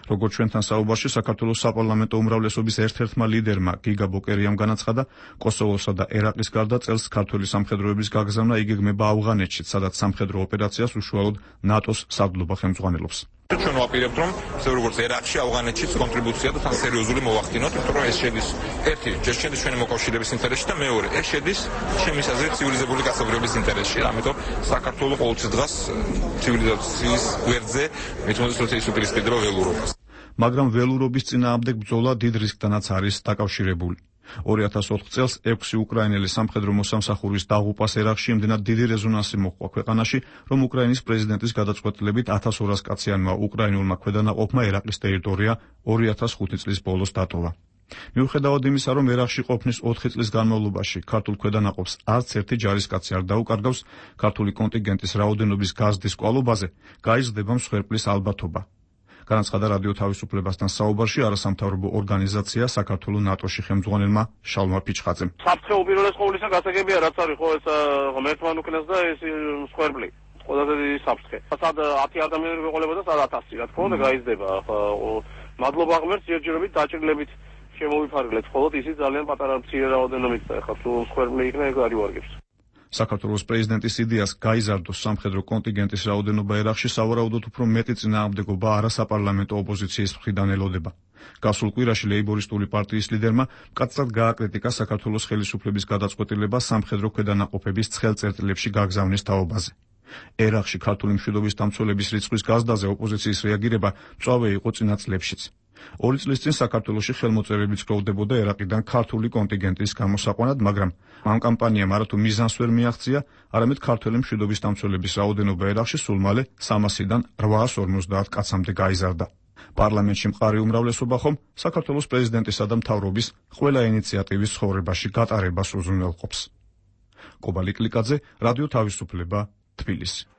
როგორც ჩვენთან საუბარში საქართველოს საპარლამენტო უმრავლესობის ერთ-ერთმა ლიდერმა გიგა ბოკერიამ განაცხადა, კოსოვოსა და ერაყის გარდა წელს ქართველი სამხედროების გაგზავნა იგეგმება ავღანეთშიც, სადაც სამხედრო ოპერაციას უშუალოდ ნატოს სარდლობა ხელმძღვანელობს. ჩვენ ვაპირებთ, რომ ისე როგორც ერაყში, ავღანეთშიც კონტრიბუცია და თან სერიოზული მოვახდინოთ, იმიტომ რომ ეს შედის ერთი, ჯერ შედის ჩვენი მოკავშირეების ინტერესში და მეორე, ეს შედის ჩემი აზრით ცივილიზებული კაცობრიობის ინტერესში. ამიტომ საქართველოს ყოველთვის დღას ცივილიზაციის გვერდზე მithumetes როცა ის უპირისპირდება ველურობას. მაგრამ ველურობის წინააღმდეგ ბრძოლა დიდ რისკთანაც არის დაკავშირებული. ორი ათას ოთხ წელს ექვსი უკრაინელი სამხედრო მოსამსახურის დაღუპვას ერაყში იმდენად დიდი რეზონანსი მოჰყვა ქვეყანაში, რომ უკრაინის პრეზიდენტის გადაწყვეტილებით ათას ორას კაციანმა უკრაინულმა ქვედანაყოფმა ერაყის ტერიტორია ორი ათას ხუთი წლის ბოლოს დატოვა. მიუხედავად იმისა, რომ ერაყში ყოფნის ოთხი წლის განმავლობაში ქართულ ქვედანაყოფს არც ერთი ჯარისკაცი არ დაუკარგავს, ქართული კონტინგენტის რაოდენობის გაზრდის კვალობაზე გაიზრდება მსხვერპლის ალბათობა. განაცხადა რადიო თავისუფლებასთან საუბარში არასამთავრობო ორგანიზაცია საქართველოს ნატოში ხელმძღვანელმა შალვა ფიჩხაძემ. საფრთხე უპირველეს ყოვლისა გასაგებია, რაც არის ხო ეს ღმერთთან უკნეს და ეს მსხვერპლი. ყველაზე დიდი საფრთხე. სად ათი ადამიანი ვეყოლება და სად ათასი, რა თქმა უნდა გაიზრდება. მადლობა ღმერთს ჯერჯერობით დაჭრილებით შემოვიფარგლეთ, ხოლოდ ისიც ძალიან პატარა მცირე რაოდენობით და ეხლა თუ მსხვერპლი იქნება ეგ არ ივარგებს. საქართველოს პრეზიდენტის იდეას გაიზარდოს სამხედრო კონტინგენტის რაოდენობა ერაყში სავარაუდოდ უფრო მეტი წინააღმდეგობა არასაპარლამენტო ოპოზიციის მხრიდან ელოდება. გასულ კვირაში ლეიბორისტული პარტიის ლიდერმა მკაცრად გააკრიტიკა საქართველოს ხელისუფლების გადაწყვეტილება სამხედრო ქვედანაყოფების ცხელ წერტილებში გაგზავნის თაობაზე. ერაყში ქართული მშვიდობის დამცველების რიცხვის გაზრდაზე ოპოზიციის რეაგირება მწვავე იყო წინა წლებშიც. ორი წლის წინ საქართველოში ხელმოწერები ცდილდებოდა ერაყიდან ქართული კონტინგენტის გამოსაყვანად, მაგრამ ამ კამპანიამ არათუ მიზანს ვერ მიაღწია, არამედ ქართველი მშვიდობის დამცველების რაოდენობა ერაყში სულ მალე სამასიდან რვაას ორმოცდაათ კაცამდე გაიზარდა. პარლამენტში მყარი უმრავლესობა ხომ საქართველოს პრეზიდენტისა და მთავრობის ყველა ინიციატივის ცხოვრებაში გატარებას უზრუნველყოფს. კობალი კლიკაძე, რადიო თავისუფლება, თბილისი.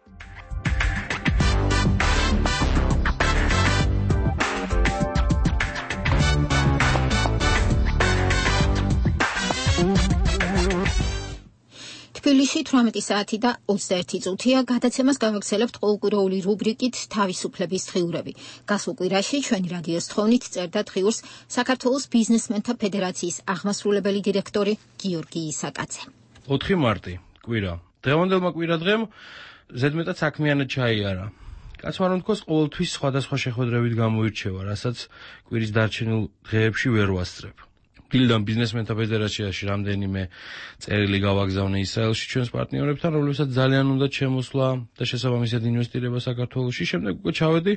თბილისში თვრამეტი საათი და ოცდაერთი წუთია. გადაცემას გავაგრძელებთ ყოველკვირეული რუბრიკით თავისუფლების დღიურები. გასულ კვირაში ჩვენი რადიოს თხოვნით წერდა დღიურს საქართველოს ბიზნესმენთა ფედერაციის აღმასრულებელი დირექტორი გიორგი ისაკაძე. ოთხი მარტი კვირა. დღევანდელმა კვირა დღემ ზედმეტად საქმიანად ჩაიარა. კაცმა რომ თქოს ყოველთვის სხვადასხვა შეხვედრებით გამოირჩევა, რასაც კვირის დარჩენილ დღეებში ვერ ვასწრებ. დილიდან ბიზნესმენთა ფედერაციაში რამდენიმე წერილი გავაგზავნე ისრაელში ჩვენს პარტნიორებთან, რომლებსაც ძალიან უნდა შემოსვლა და შესაბამისად ინვესტირება საქართველოში. შემდეგ უკვე ჩავედი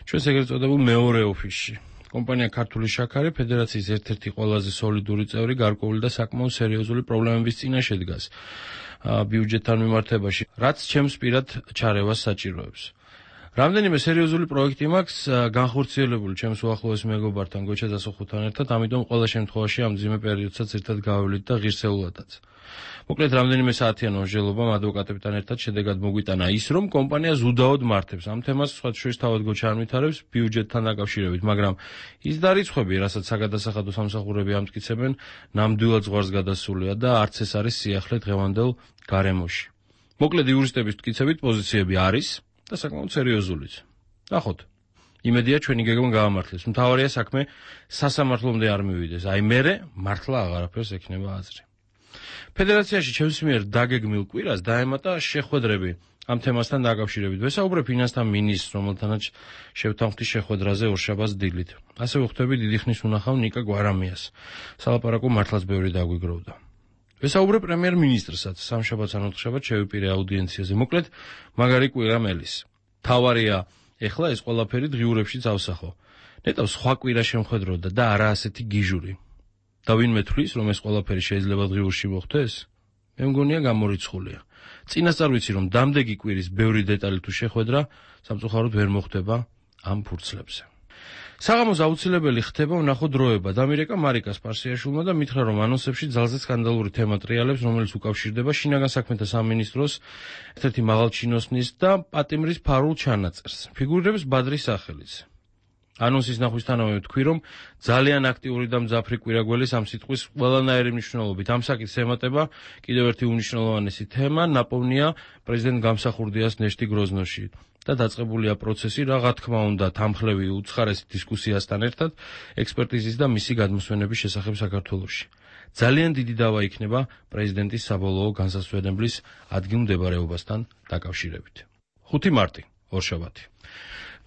ჩვენს ეგრეთ წოდებულ მეორე ოფისში. კომპანია ქართული შაქარი ფედერაციის ერთ-ერთი ყველაზე სოლიდური წევრი გარკვეული და საკმაოდ სერიოზული პრობლემების წინაშე დგას ბიუჯეტთან მიმართებაში, რაც ჩემს პირად ჩარევას საჭიროებს. რამდენიმე სერიოზული პროექტი მაქვს განხორციელებული ჩემს უახლოეს მეგობართან გოჩა დასოხუთან ერთად, ამიტომ ყველა შემთხვევაში ამ ძიმე პერიოდსაც ერთად გავავლით და ღირსეულადაც. მოკლედ რამდენიმე საათიან ორჟელობამ ადვოკატებთან ერთად შედეგად მოგვიტანა ის, რომ კომპანია ზუდაოდ მართებს ამ თემას, სხვა შორის თავად გოჩა არ ვითარებს ბიუჯეტთან დაკავშირებით, მაგრამ ის დარიცხვები, რასაც საგადასახადო სამსახურები ამტკიცებენ, ნამდვილად ზღვარს გადასულია და არც ეს არის სიახლე დღევანდელ გარემოში. მოკლედ იურისტების მტკიცებით პოზიციები არის და საკმაოდ სერიოზულიც. ნახოთ. იმედია ჩვენი გეგმა გაამართლეს. მთავარია საქმე სასამართლომდე არ მივიდეს. აი მერე მართლა აღარაფერს ექნება აზრი. ფედერაციაში ჩემს მიერ დაგეგმილ კვირას დაემატა შეხვედრები ამ თემასთან დაკავშირებით. ვესაუბრე ფინანსთა მინისტრს, რომელთანაც შევთანხმდი შეხვედრაზე ორშაბათს დილით. ასევე ვხვდები დიდი ხნის უნახავ ნიკა გვარამიას. სალაპარაკო მართლაც ბევრი დაგვიგროვდა. ვესაუბრე პრემიერ-მინისტრსაც, სამშაბათს ან ოთხშაბათს შევიპირე აუდიენციაზე. მოკლედ, მაგარი კვირა მელის. თავარია, ეხლა ეს ყველაფერი დღიურებშიც ავსახო. ნეტავ სხვა კვირა შემხედროდა და არა ასეთი გიჟური. და ვინმე თვლის, რომ ეს ყველაფერი შეიძლება დღიურში მოხდეს? მე მგონია გამორიცხულია. წინასწარ ვიცი, რომ დამდეგი კვირის ბევრი დეტალი თუ შეხვედრა სამწუხაროდ ვერ მოხდება ამ ფურცლებზე. საღამოს აუცილებელი ხდება ვნახო დროება. დამირეკა მარიკა სპარსიაშვილმა და მითხრა, რომ ანონსებში ძალზე სკანდალური თემა ტრიალებს, რომელიც უკავშირდება შინაგან საქმეთა სამინისტროს ერთ-ერთი მაღალჩინოსნის და პატიმრის ფარულ ჩანაწერს. ფიგურირებს ბადრის სახელიც. ანონსის ნახვისთანავე ვთქვი, რომ ძალიან აქტიური და მძაფრი კვირაგველის ამ სიტყვის ყველანაირი მნიშვნელობით ამ საკითხს ემატება კიდევ ერთი უმნიშვნელოვანესი თემა, ნაპოვნია პრეზიდენტ გამსახურდიას ნეშტი გროზნოში და დაწყებულია პროცესი, რა თქმა უნდა, თანმხლევი უცხარესი დისკუსიასთან ერთად ექსპერტიზის და მისი გადმოსვენების შესახებ საქართველოში. ძალიან დიდი დავა იქნება პრეზიდენტის საბოლოო განსასვენებლის ადგილმდებარეობასთან დაკავშირებით. ხუთი მარტი, ორშაბათი.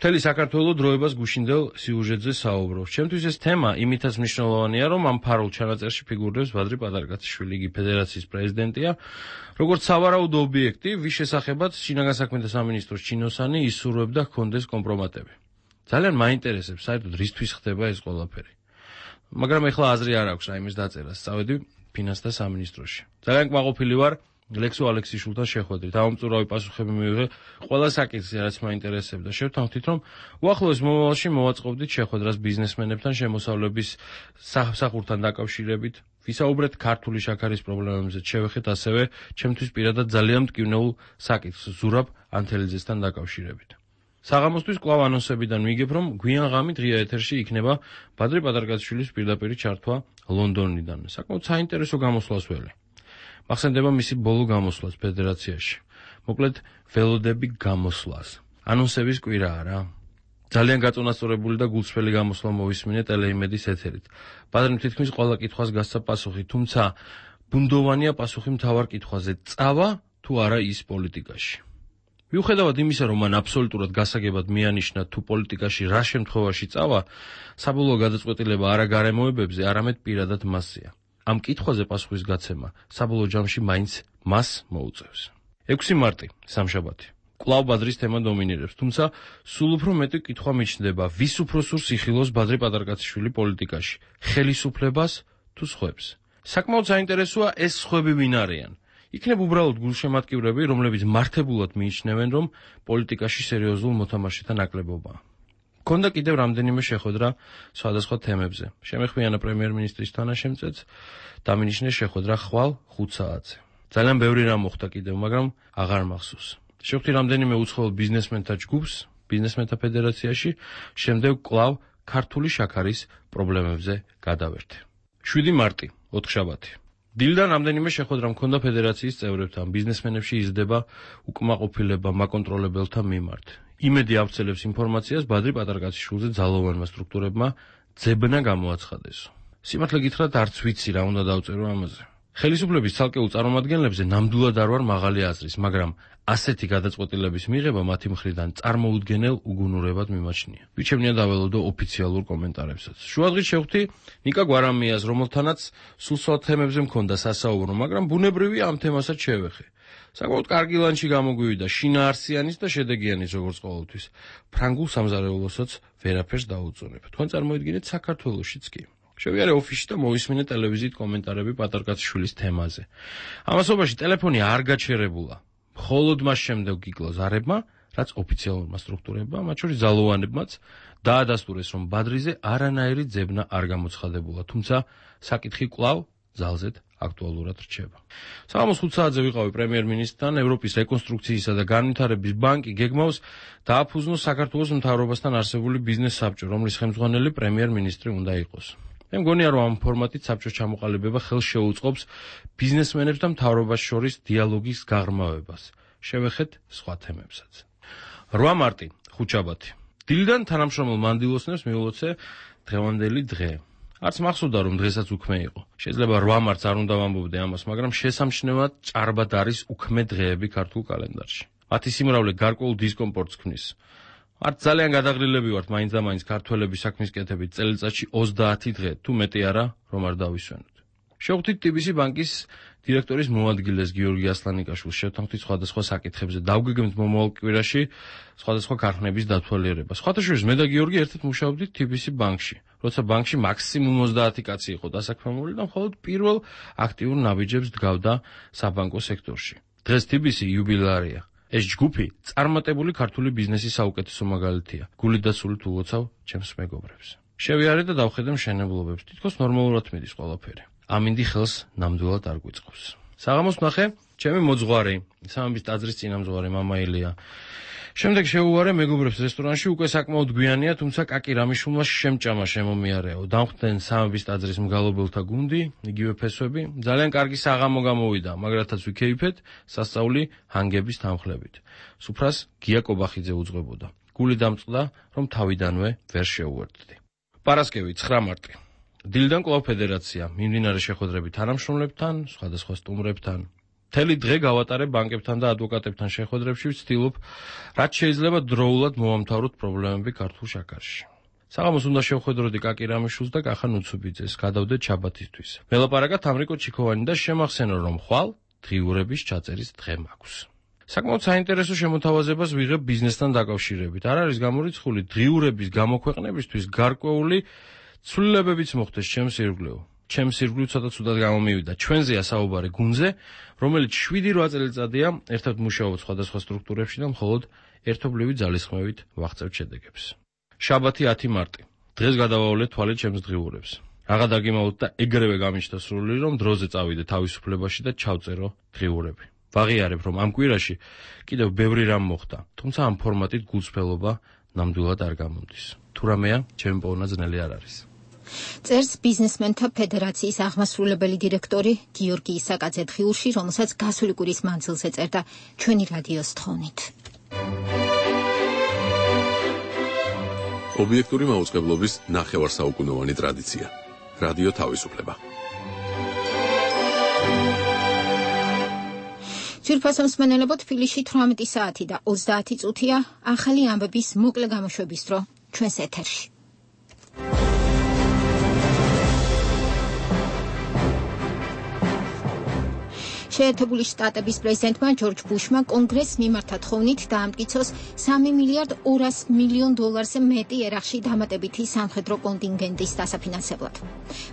მთელი საქართველო დროებას გუშინდელ სიუჟეტზე საუბრობს. ჩემთვის ეს თემა იმითაც მნიშვნელოვანია, რომ ამ ფარულ ჩანაწერში ფიგურირებს ბადრი პატარკაციშვილი, იგი ფედერაციის პრეზიდენტია, როგორც სავარაუდო ობიექტი, ვის შესახებაც შინაგან საქმეთა სამინისტროს ჩინოსანი ისურვებდა ჰქონდეს კომპრომატები. ძალიან მაინტერესებს, საერთოდ რისთვის ხდება ეს ყველაფერი. მაგრამ ეხლა აზრი არ აქვს რაიმეს დაწერას. წავედი ფინანსთა სამინისტროში. ძალიან კმაყოფილი ვარ ლექსო ალექსიშვილთან შეხვედრით. ამომწურავი პასუხები მივიღე ყველა საკითხზე, რაც მაინტერესებდა. შევთანხმდით, რომ უახლოეს მომავალში მოვაწყობდით შეხვედრას ბიზნესმენებთან შემოსავლების სახურთან დაკავშირებით. ვისაუბრეთ ქართული შაქარის პრობლემებზე, შევეხეთ ასევე ჩემთვის პირადად ძალიან მტკივნეულ საკითხს ზურაბ ანთელიძესთან დაკავშირებით. საღამოსთვის კვლავ ანონსებიდან ვიგებ, რომ გვიან ღამით ღია ეთერში იქნება ბადრი პატარკაციშვილის პირდაპირი ჩართვა ლონდონიდან. საკმაოდ საინტერესო გამოსვლას ველე. მახსენდება მისი ბოლო გამოსვლას ფედერაციაში. მოკლედ, ველოდები გამოსვლას. ანონსების კვირაა რა. ძალიან გაწონასწორებული და გულწრფელი გამოსვლა მოვისმინე ტელეიმედის ეთერით. ბადრიმ თითქმის ყველა კითხვას გასცა პასუხი, თუმცა ბუნდოვანია პასუხი მთავარ კითხვაზე: წავა თუ არა ის პოლიტიკაში. მიუხედავად იმისა, რომ მან აბსოლუტურად გასაგებად მიანიშნა თუ პოლიტიკაში რა შემთხვევაში წავა, საბოლოო გადაწყვეტილება არა გარემოებებზე, არამედ პირადად მასზეა. ამ კითხვაზე პასუხის გაცემა საბოლოო ჯამში მაინც მას მოუწევს. ექვსი მარტი, სამშაბათი. კვლავ ბადრის თემა დომინირებს, თუმცა სულ უფრო მეტი კითხვა მიჩნდება, ვის უფრო სურს იხილოს ბადრი პატარკაციშვილი პოლიტიკაში, ხელისუფლებას თუ სხვებს. საკმაოდ საინტერესოა ეს სხვები ვინ არიან. იქნებ უბრალოდ გულშემატკივრები, რომლებიც მართებულად მიიჩნევენ, რომ პოლიტიკაში სერიოზულ მოთამაშეთა ნაკლებობაა. მქონდა კიდევ რამდენიმე შეხვედრა სხვადასხვა თემებზე. შემეხვიანა პრემიერ-მინისტრის თანაშემწეც, დამინიშნე შეხვედრა ხვალ ხუთ საათზე. ძალიან ბევრი რამ მოხდა კიდევ, მაგრამ აღარ მახსოვს. შევხვდი რამდენიმე უცხოელ ბიზნესმენთა ჯგუფს ბიზნესმენთა ფედერაციაში, შემდეგ კვლავ ქართული შაქარის პრობლემებზე გადავერთე. შვიდი მარტი, ოთხშაბათი. დილიდან რამდენიმე შეხვედრა მქონდა ფედერაციის წევრებთან, ბიზნესმენებში იზრდება უკმაყოფილება მაკონტროლებელთა მიმართ. იმედი ავრცელებს ინფორმაციას ბადრი პატარკაციშვილზე ძალოვანმა სტრუქტურებმა ძებნა გამოაცხადეს. სიმართლე გითხრათ, არც ვიცი რა უნდა დავწერო ამაზე. ხელისუფლების ცალკეულ წარმომადგენლებზე ნამდვილად არ ვარ მაღალი აზრის, მაგრამ ასეთი გადაწყვეტილების მიღება მათი მხრიდან წარმოუდგენელ უგუნურებად მიმაჩნია. ვიჩემნია დაველოდო ოფიციალურ კომენტარებსაც. შუადღით შევხვდი ნიკა გვარამიას, რომელთანაც სულ სხვა თემებზე მქონდა სასაუბრო, მაგრამ ბუნებრივი ამ თემასაც შევეხე. საკმაოდ კარგი ლანჩი გამოგვივიდა, შინაარსიანის და შედეგიანის როგორც ყოველთვის. ფრანგულ სამზარეულოსაც ვერაფერს დაუწუნებ. თქვენ წარმოიდგინეთ საქართველოშიც კი. შევიარე ოფისში და მოვისმინე ტელევიზიით კომენტარები პატარკაციშვილის თემაზე. ამასობაში ტელეფონი არ გაჩერებულა. მხოლოდ მას შემდეგ გიგლა ზარებმა, რაც ოფიციალურმა სტრუქტურებმა, მათ შორის ძალოვანებმაც, დაადასტურეს, რომ ბადრიზე არანაირი ძებნა არ გამოცხადებულა, თუმცა საკითხი კვლავ ძალზედ აქტუალურად რჩება. საღამოს ხუთ საათზე ვიყავი პრემიერ-მინისტრთან, ევროპის რეკონსტრუქციისა და განვითარების ბანკი გეგმავს დააფუძნოს საქართველოს მთავრობასთან არსებული ბიზნეს საბჭო, რომლის ხელმძღვანელი პრემიერ-მინისტრი უნდა იყოს. მე მგონია, რომ ამ ფორმატით საბჭოს ჩამოყალიბება ხელს შეუწყობს ბიზნესმენებს და მთავრობას შორის დიალოგის გაღრმავებას. შევეხეთ სხვა თემებსაც. რვა მარტი, ხუთშაბათი. დილიდან თანამშრომელ მანდილოსნებს მიულოცე დღევანდელი დღე. არც მახსოვდა, რომ დღესაც უქმე იყო. შეიძლება რვა მარტს არ უნდა ვამბობდე ამას, მაგრამ შესამჩნევად ჭარბად არის უქმე დღეები ქართულ კალენდარში. მათი სიმრავლე გარკვეულ დისკომფორტს ქმნის. არც ძალიან გადაღრილები ვართ მაინც და მაინც ქართველების საქმის კეთებით წელიწადში ოცდაათი დღე, თუ მეტი არა, რომ არ დავისვენოთ. შევხვდით ტი ბი სი ბანკის დირექტორის მოადგილეს გიორგი ასლანიკაშვილს, შევთანხმდით სხვადასხვა საკითხებზე, დავგეგმეთ მომავალ კვირაში სხვადასხვა ქარხნების დათვალიერება. სხვათა შორის მე და გიორგი ერთად მუშაობდით ტი ბი სი ბანკში, როცა ბანკში მაქსიმუმ ოცდაათი კაცი იყო დასაქმებული და მხოლოდ პირველ აქტიურ ნაბიჯებს დგავდა საბანკო სექტორში. დღეს ტი ბი სი იუბილეარია. ეს ჯგუფი წარმატებული ქართული ბიზნესის საუკეთესო მაგალითია. გულით და სულით ულოცავ ჩემს მეგობრებს. შევიარე და დავხედე მშენებლობებს. თითქოს ნორმალურად მიდის ყველაფერი. ამინდი ხელს ნამდვილად არ გვიწყობს. საღამოს ნახე, ჩემი მოძღვარი, სამების ტაძრის წინამძღვარი მამა ილია. შემდეგ შეუვარე მეგობრებს რესტორანში, უკვე საკმაოდ გვიანია, თუმცა კაკი რამიშულმა შემჭამა შემომიარეო. დამხვდნენ სამების ტაძრის მგალობელთა გუნდი, იგივე ფესვები, ძალიან კარგი საღამო გამოვიდა, მაგრათაც ვიქეიფეთ, სასწაული ჰანგების თანხლებით. სუფრას გია კობახიძე უძღვებოდა. გული დამწყდა, რომ თავიდანვე ვერ შეუერთდი. პარასკევი, ცხრა მარტი. დილიდან კვლავ ფედერაცია, მიმდინარე შეხვედრები თანამშრომლებთან, სხვადასხვა სტუმრებთან. მთელი დღე გავატარე ბანკებთან და ადვოკატებთან შეხვედრებში, ვცდილობ, რაც შეიძლება დროულად მოვამთავროთ პრობლემები ქართულ შაქარში. საღამოს უნდა შევხვედროდი კაკი რამიშულს და კახან უცუბიძეს, გადავდეთ შაბათისთვის. ველაპარაკა თამრიკო ჩიქოვანი და შემახსენო, რომ ხვალ დღიურების ჩაწერის დღე მაქვს. საკმაოდ საინტერესო შემოთავაზებას ვიღებ ბიზნესთან დაკავშირებით. არ არის გამორიცხული დღიურების გამოქვეყნებისთვის გარკვეული ცვლილებებიც მოხდეს ჩემს ირგვლივ. ჩემს ირგვლივ ცოტა ცუდად გამომივიდა. ჩვენზეა საუბარი გუნზე, რომელიც შვიდი რვა წელიწადია ერთად მუშაობთ სხვადასხვა სტრუქტურებში და მხოლოდ ერთობლივი ძალისხმევით ვაღწევთ შედეგებს. შაბათი ათი მარტი. დღეს გადავავლე თვალე ჩემს დღიურებს. რაღა დაგიმაოთ და ეგრევე გამიჩნდა სრული, რომ დროზე წავიდე თავისუფლებაში და ჩავწერო დღიურები. ვაღიარებ, რომ ამ კვირაში კიდევ ბევრი რამ მოხდა, თუმცა ამ ფორმატით გულწრფელობა ნამდვილად არ გამომდის. თუ რამეა, ჩემი პოვნა ძნელი არ არის. წერს ბიზნესმენთა ფედერაციის აღმასრულებელი დირექტორი გიორგი ისაკაძე დღიურში, რომელსაც გასული კვირის მანძილზე წერდა ჩვენი რადიოს თხოვნით. ობიექტური მაუწყებლობის ნახევარსაუკუნოვანი ტრადიცია. რადიო თავისუფლება. ძვირფასო მსმენელებო, თბილისში თვრამეტი საათი და ოცდაათი წუთია, ახალი ამბების მოკლე გამოშვების დრო ჩვენს ეთერში. შეერთებული შტატების პრეზიდენტმა ჯორჯ ბუშმა კონგრესს მიმართა თხოვნით დაამტკიცოს სამი მილიარდ ორასი მილიონ დოლარზე მეტი ერახში დამატებითი სამხედრო კონტინგენტის დასაფინანსებლად.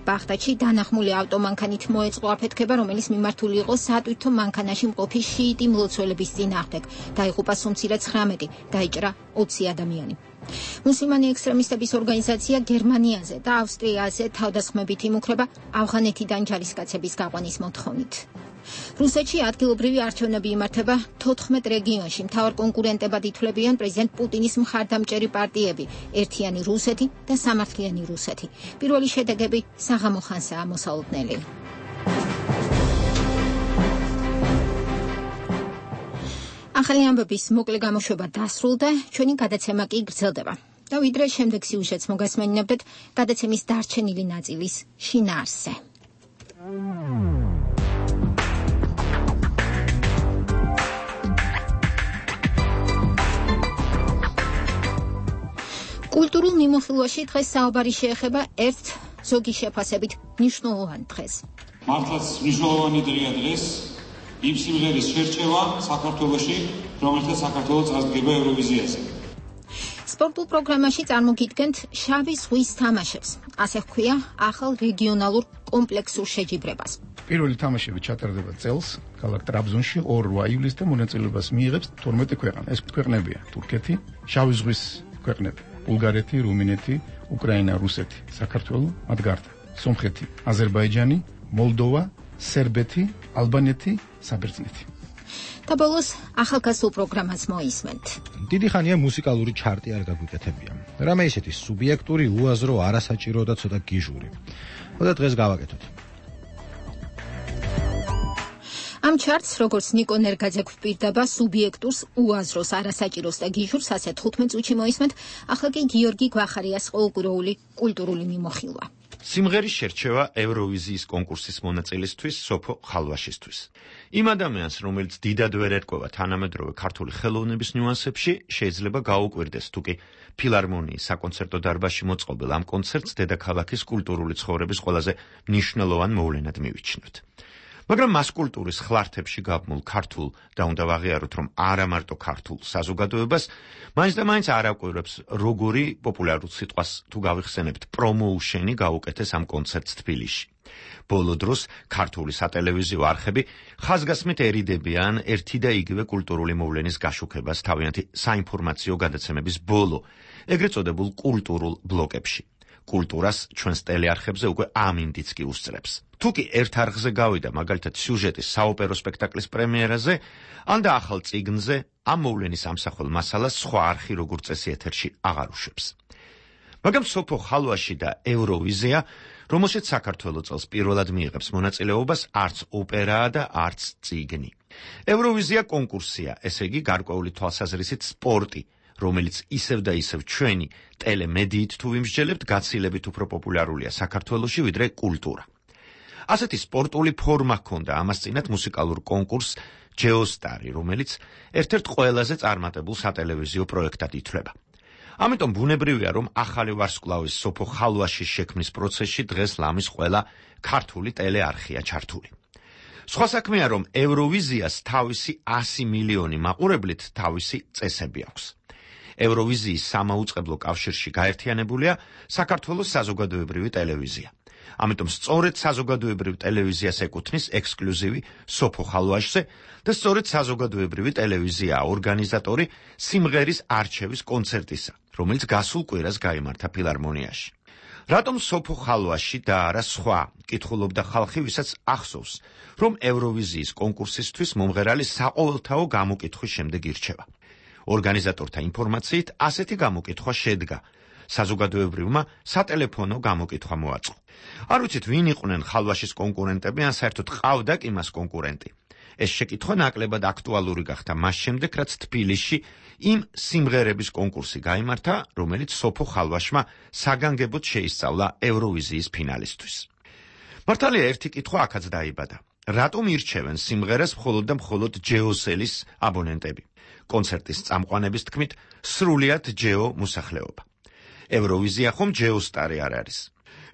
ბაღდადში დანახმული ავტომანქანით მოეწყო აფეთქება, რომელიც მიმართული იყო სატვირთო მანქანაში მყოფი შიიტი მლოცველების წინააღმდეგ. დაიღუპა სუმცირე ცხრამეტი, დაიჭრა ოცი ადამიანი. მუსლიმანი ექსტრემისტების ორგანიზაცია გერმანიაზე და ავსტრიაზე თავდასხმებით იმუქრება ავღანეთიდან ჯარისკაცების გაყვანის მოთხოვნით. რუსეთში ადგილობრივი არჩევნები იმართება თოთხმეტ რეგიონში. მთავარ კონკურენტებად ითვლებიან პრეზიდენტ პუტინის მხარდამჭერი პარტიები ერთიანი რუსეთი და სამართლიანი რუსეთი. პირველი შედეგები საღამო ხანსაა მოსალოდნელი. ახალი ამბების მოკლე გამოშვება დასრულდა, ჩვენი გადაცემა კი გრძელდება. და ვიდრე შემდეგ სიუჟეტს მოგასმენინებდეთ გადაცემის დარჩენილი ნაწილის შინაარსზე. კულტურულ მიმოხილვაში დღეს საუბარი შეეხება ერთ ზოგი შეფასებით მნიშვნელოვან დღეს. მართლაც მნიშვნელოვანი დღეა დღეს იმ სიმღერის შერჩევა საქართველოში, რომელსაც საქართველო წარდგება ევროვიზიაზე. სპორტულ პროგრამაში წარმოგიდგენთ შავი ზღვის თამაშებს. ასე ჰქვია ახალ რეგიონალურ კომპლექსურ შეჯიბრებას. პირველი თამაშები ჩატარდება წელს ქალაქ ტრაბზონში ორ ივლისს და მონაწილეობას მიიღებს თორმეტი ქვეყანა. ეს ქვეყნებია თურქეთი, შავი ზღვის ქვეყნები, ბულგარეთი, რუმინეთი, უკრაინა, რუსეთი, საქართველო, მათ გარდა სომხეთი, აზერბაიჯანი, მოლდოვა, სერბეთი, ალბანეთი, საბერძნეთი. და ბოლოს ახალგაზრდულ პროგრამას მოისმენთ. დიდი ხანია მუსიკალური ჩარტი არ გაგვიკეთებია. რამე ისეთი სუბიექტური, უაზრო, არასაჭირო და ცოტა გიჟური. ხოდა დღეს გავაკეთოთ. ამ ჩარტს, როგორც ნიკო ნერგაძე გვპირდება, სუბიექტურს, უაზროს, არასაჭიროს და გიჟურს ასე თხუთმეტ წუთში მოისმენთ, ახლა კი გიორგი გვახარიას ყოველკვირეული კულტურული მიმოხილვა. სიმღერის შერჩევა ევროვიზიის კონკურსის მონაწილისთვის სოფო ხალვაშისთვის. იმ ადამიანს, რომელიც დიდად ვერ ერკვევა თანამედროვე ქართული ხელოვნების ნიუანსებში, შეიძლება გაუკვირდეს თუ კი ფილარმონიის საკონცერტო დარბაზში მოწყობილ ამ კონცერტს დედაქალაქის კულტურული ცხოვრების ყველაზე მნიშვნელოვან მოვლენად მივიჩნევთ. მაგრამ მას კულტურის ხლართებში გაბმულ ქართულ და უნდა ვაღიაროთ, რომ არა მარტო ქართულ საზოგადოებას, მაინც და მაინც არ აკვირვებს, როგორი პოპულარულ სიტყვას თუ გავიხსენებთ პრომოუშენი გაუკეთეს ამ კონცერტს თბილისში. ბოლო დროს ქართული სატელევიზიო არხები ხაზგასმით ერიდებიან ერთი და იგივე კულტურული მოვლენის გაშუქებას თავიანთი საინფორმაციო გადაცემების ბოლო, ეგრეთ წოდებულ კულტურულ ბლოკებში. კულტურას ჩვენს ტელეარხებზე უკვე ამინდიც კი უსწრებს. თუ კი ერთ არხზე გავიდა მაგალითად სიუჟეტის საოპერო სპექტაკლის პრემიერაზე, ან და ახალ წიგნზე, ამ მოვლენის ამსახველ მასალას სხვა არხი როგორც წესი ეთერში აღარ უშვებს. მაგრამ სოფო ხალვაში და ევროვიზია, რომელშიც საქართველო წელს პირველად მიიღებს მონაწილეობას, არც ოპერაა და არც წიგნი. ევროვიზია კონკურსია, ესე იგი გარკვეული თვალსაზრისით სპორტი, რომელიც ისევ და ისევ ჩვენი ტელემედიით თუ ვიმსჯელებთ, გაცილებით უფრო პოპულარულია საქართველოში ვიდრე კულტურა. ასეთი სპორტული ფორმა ჰქონდა ამას წინათ მუსიკალურ კონკურსს ჯეოსტარი, რომელიც ერთ-ერთ ყველაზე წარმატებულ სატელევიზიო პროექტად ითვლება. ამიტომ ბუნებრივია, რომ ახალი ვარსკვლავის სოფო ხალვაშის შექმნის პროცესში დღეს ლამის ყველა ქართული ტელეარხია ჩართული. სხვა საქმეა, რომ ევროვიზიას თავისი ასი მილიონი მაყურებლით თავისი წესები აქვს. ევროვიზიის სამაუწყებლო კავშირში გაერთიანებულია საქართველოს საზოგადოებრივი ტელევიზია. ამიტომ სწორედ საზოგადოებრივ ტელევიზიას ეკუთვნის ექსკლუზივი სოფო ხალვაშზე და სწორედ საზოგადოებრივი ტელევიზიაა ორგანიზატორი სიმღერის არჩევის კონცერტისა, რომელიც გასულ კვირას გაიმართა ფილარმონიაში. რატომ სოფო ხალვაში და არა სხვა, კითხულობდა ხალხი, ვისაც ახსოვს, რომ ევროვიზიის კონკურსისთვის მომღერალი საყოველთაო გამოკითხვის შემდეგ ირჩევა. ორგანიზატორთა ინფორმაციით ასეთი გამოკითხვა შედგა. საზოგადოებრივმა სატელეფონო გამოკითხვა მოაწყო. არ ვიცით, ვინ იყვნენ ხალვაშის კონკურენტები, ან საერთოდ ყავდა კი მას კონკურენტი. ეს შეკითხვა ნაკლებად აქტუალური გახდა მას შემდეგ, რაც თბილისში იმ სიმღერების კონკურსი გაიმართა, რომელიც სოფო ხალვაშმა საგანგებოდ შეისწავლა ევროვიზიის ფინალისტვის. მართალია, ერთი კითხვა აქაც დაიბადა. რატომ ირჩევენ სიმღერას მხოლოდ და მხოლოდ ჯეოსელის აბონენტები? კონცერტის წამყვანების თქმით, სრულიად ჯეო მოსახლეობა. ევროვიზია ხომ ჯეოსტარი არ არის.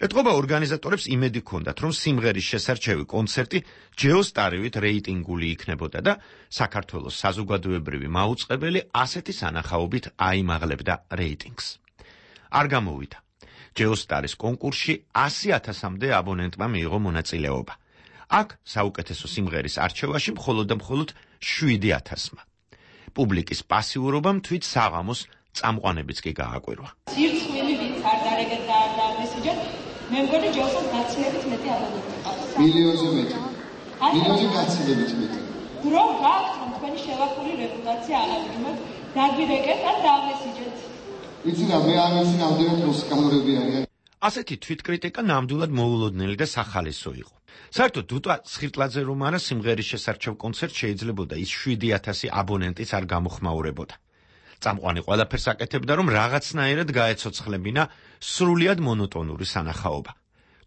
ეთყობა ორგანიზატორებს იმედი ჰქონდათ, რომ სიმღერის შესარჩევი კონცერტი ჯეოსტარივით რეიტინგული იქნებოდა და საქართველოს საზოგადოებრივი მაუწყებელი ასეთი სანახაობით აიმაღლებდა რეიტინგს. არ გამოვიდა. ჯეოსტარის კონკურსში ასი ათასამდე აბონენტმა მიიღო მონაწილეობა. აქ საუკეთესო სიმღერის არჩევაში მხოლოდ და მხოლოდ შვიდი ათასმა. პუბლიკის პასიურობამ თვით საღამოს წამყვანებიც კი გააკვირვა. სირცხვილი ვინც არ დარეგეთ და არ დააგვესიჯეთ, მე მგონი ჯოსოს გაცილებით მეტი აბონენტი ყავს. მილიონზე მეტი. მილიონზე გაცილებით მეტი. დრო გაქვთ, რომ თქვენი შევახული რეპუტაცია აღადგინოთ, დაგვირეკეთ ან დააგვესიჯეთ. იცი რა, მე არ ვიცი რამდენად მოსკამურები არიან. ასეთი თვითკრიტიკა ნამდვილად მოულოდნელი და სახალისო იყო. საერთოდ დუტა სხირტლაძე რომ არა სიმღერის შესარჩევ კონცერტ შეიძლებოდა ის შვიდი ათასი აბონენტიც არ გამოხმაურებოდა. წამყვანი ყველაფერს აკეთებდა, რომ რაღაცნაირად გაეცოცხლებინა სრულიად მონოტონური სანახაობა.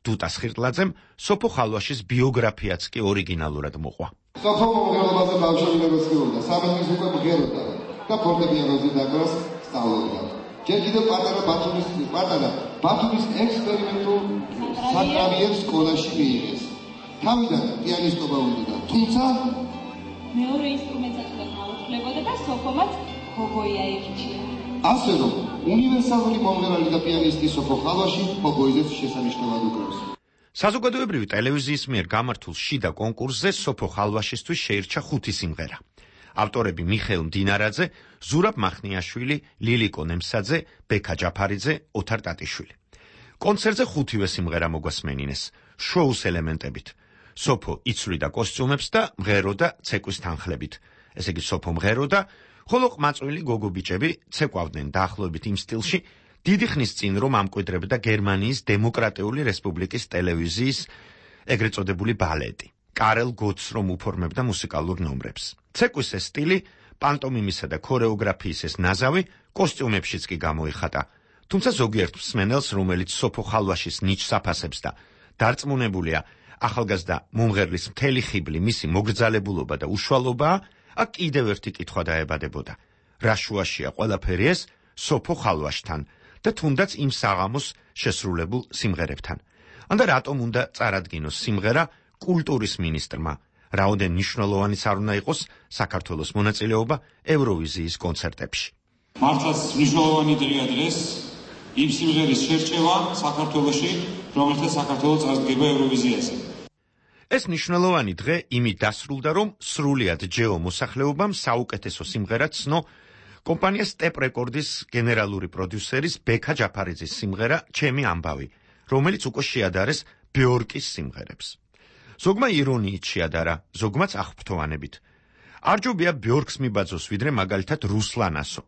დუტა სხირტლაძემ სოფო ხალვაშის ბიოგრაფიაც კი ორიგინალურად მოყვა. სოფო მომღერალობაზე ბავშვობიდან სწავლობდა, სამეცნიერო უკვე მღეროდა და ფორტეპიანოზე დაკვრას სწავლობდა. ჯერ კიდევ პატარა ბათუმის პატარა ბათუმის ექსპერიმენტულ საკრავიერ სკოლაში მიიღეს. თავიდან პიანისტობა უნდა, თუმცა მეორე ინსტრუმენტსაც უნდა გაუხლებოდა და სოფომაც ჰოგოია ირჩია. ასე რომ, უნივერსალური მომღერალი და პიანისტი სოფო ხალვაში ჰოგოიზეს შესანიშნავად უკრავს. საზოგადოებრივი ტელევიზიის მიერ გამართულ შიდა კონკურსზე სოფო ხალვაშისთვის შეირჩა ხუთი სიმღერა. ავტორები მიხეილ მდინარაძე, ზურაბ მახნიაშვილი, ლილიკო ნემსაძე, ბექა ჯაფარიძე, ოთარ ტატიშვილი. კონცერტზე ხუთივე სიმღერა მოგვასმენინეს, შოუს ელემენტებით. სოფო იცვლიდა კოსტიუმებს და მღეროდა ცეკვის თანხლებით. ესე იგი, სოფო მღეროდა, ხოლო ყმაწვილი გოგო ბიჭები ცეკვავდნენ დაახლოებით იმ სტილში, დიდი ხნის წინ რომ ამკვიდრებდა გერმანიის დემოკრატიული რესპუბლიკის ტელევიზიის ეგრეთ წოდებული ბალეტი. კარელ გოც რომ უფორმებდა მუსიკალურ ნომრებს. ცეკვის ეს სტილი, პანტომიმისა და ქორეოგრაფიის ეს ნაზავი კოსტიუმებშიც კი გამოიხატა. თუმცა ზოგიერთ მსმენელს, რომელიც სოფო ხალვაშის ნიჭს აფასებს და დარწმუნებულია ახალგაზრდა მომღერლის მთელი ხიბლი მისი მოგრძალებულობა და უშუალობაა, აქ კიდევ ერთი კითხვა დაებადებოდა. რა შუაშია ყველაფერი ეს სოფო ხალვაშთან და თუნდაც იმ საღამოს შესრულებულ სიმღერებთან. ანდა რატომ უნდა წარადგინოს სიმღერა კულტურის მინისტრმა? რაოდენ მნიშვნელოვანიც არ უნდა იყოს საქართველოს მონაწილეობა ევროვიზიის კონცერტებში. მართლაც მნიშვნელოვანი დღეა დღეს იმ სიმღერის შერჩევა საქართველოში, რომელთა საქართველოს წარდგება ევროვიზიაზე. ეს მნიშვნელოვანი დღე იმით დასრულდა, რომ სრულიად ჯეო მოსახლეობამ საუკეთესო სიმღერა ცნო კომპანია სტეპ რეკორდის გენერალური პროდიუსერის ბექა ჯაფარიძის სიმღერა ჩემი ამბავი, რომელიც უკვე შეადარეს ბიორკის სიმღერებს. ზოგმა ირონიით შეადარა, ზოგმაც აღფრთოვანებით. არ ჯობია ბიორკს მიბაძოს, ვიდრე მაგალითად რუსლანასო.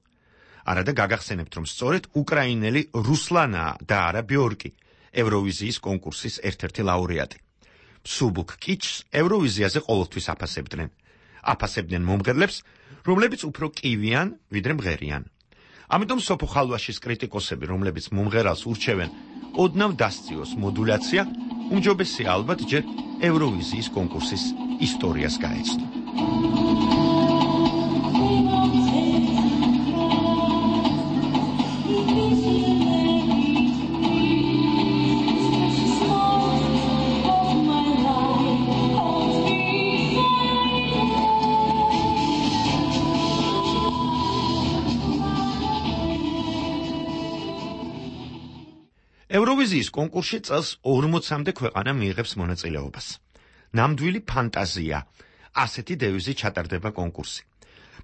არადა გაგახსენებთ, რომ სწორედ უკრაინელი რუსლანაა და არა ბიორკი, ევროვიზიის კონკურსის ერთ-ერთი ლაურეატი. სუბუქ კიჩს ევროვიზიაზე ყოველთვის აფასებდნენ. აფასებდნენ მომღერლებს, რომლებიც უფრო კივიან, ვიდრე მღერიან. ამიტომ სოფო ხალვაშის კრიტიკოსები, რომლებიც მომღერალს ურჩევენ, ოდნავ დასწიოს მოდულაცია, უმჯობესია ალბათ ჯერ ევროვიზიის კონკურსის ისტორიას გაეცნო. ევროვიზიის კონკურსში წელს ორმოცამდე ქვეყანა მიიღებს მონაწილეობას. ნამდვილი ფანტაზია, ასეთი დევიზით ჩატარდება კონკურსი.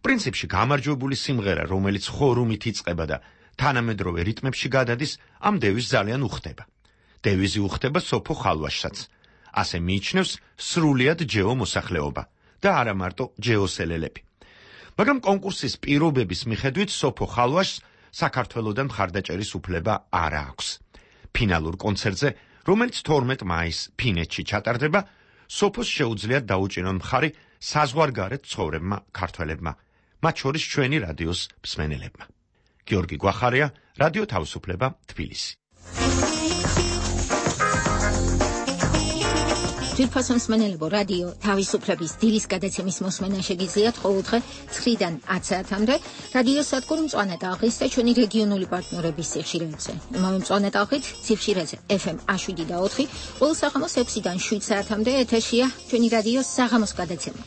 პრინციპში გამარჯვებული სიმღერა, რომელიც ხორუმით იწყება და თანამედროვე რიტმებში გადადის, ამ დევიზს ძალიან უხდება. დევიზი უხდება სოფო ხალვაშსაც. ასე მიიჩნევს სრულიად ჯეო მოსახლეობა და არა მარტო ჯეოსელელები. მაგრამ კონკურსის პირობების მიხედვით სოფო ხალვაშს საქართველოსთან მხარდაჭერის უფლება არ აქვს. ფინალურ კონცერტზე, რომელიც თორმეტ მაისს ფინეთში ჩატარდება, სოფოს შეუძლიათ დაუჭირონ მხარი საზღვარგარეთ ცხოვრებმა ქართველებმა, მათ შორის ჩვენი რადიოს მსმენელებმა. გიორგი გვახარია, რადიო თავისუფლება, თბილისი. ძვირფასო მსმენელებო, რადიო თავისუფლების დილის გადაცემის მოსმენა შეგიძლიათ ყოველდღე ცხრიდან ათ საათამდე რადიო სადგურ მწვანე ტალღის და ჩვენი რეგიონული პარტნიორების სიხშირეებზე. იმავე მწვანე ტალღით სიხშირეზე ეფ ემ შვიდი და ოთხი, ყოველ საღამოს ექვსიდან შვიდ საათამდე ეთერშია ჩვენი რადიოს საღამოს გადაცემა.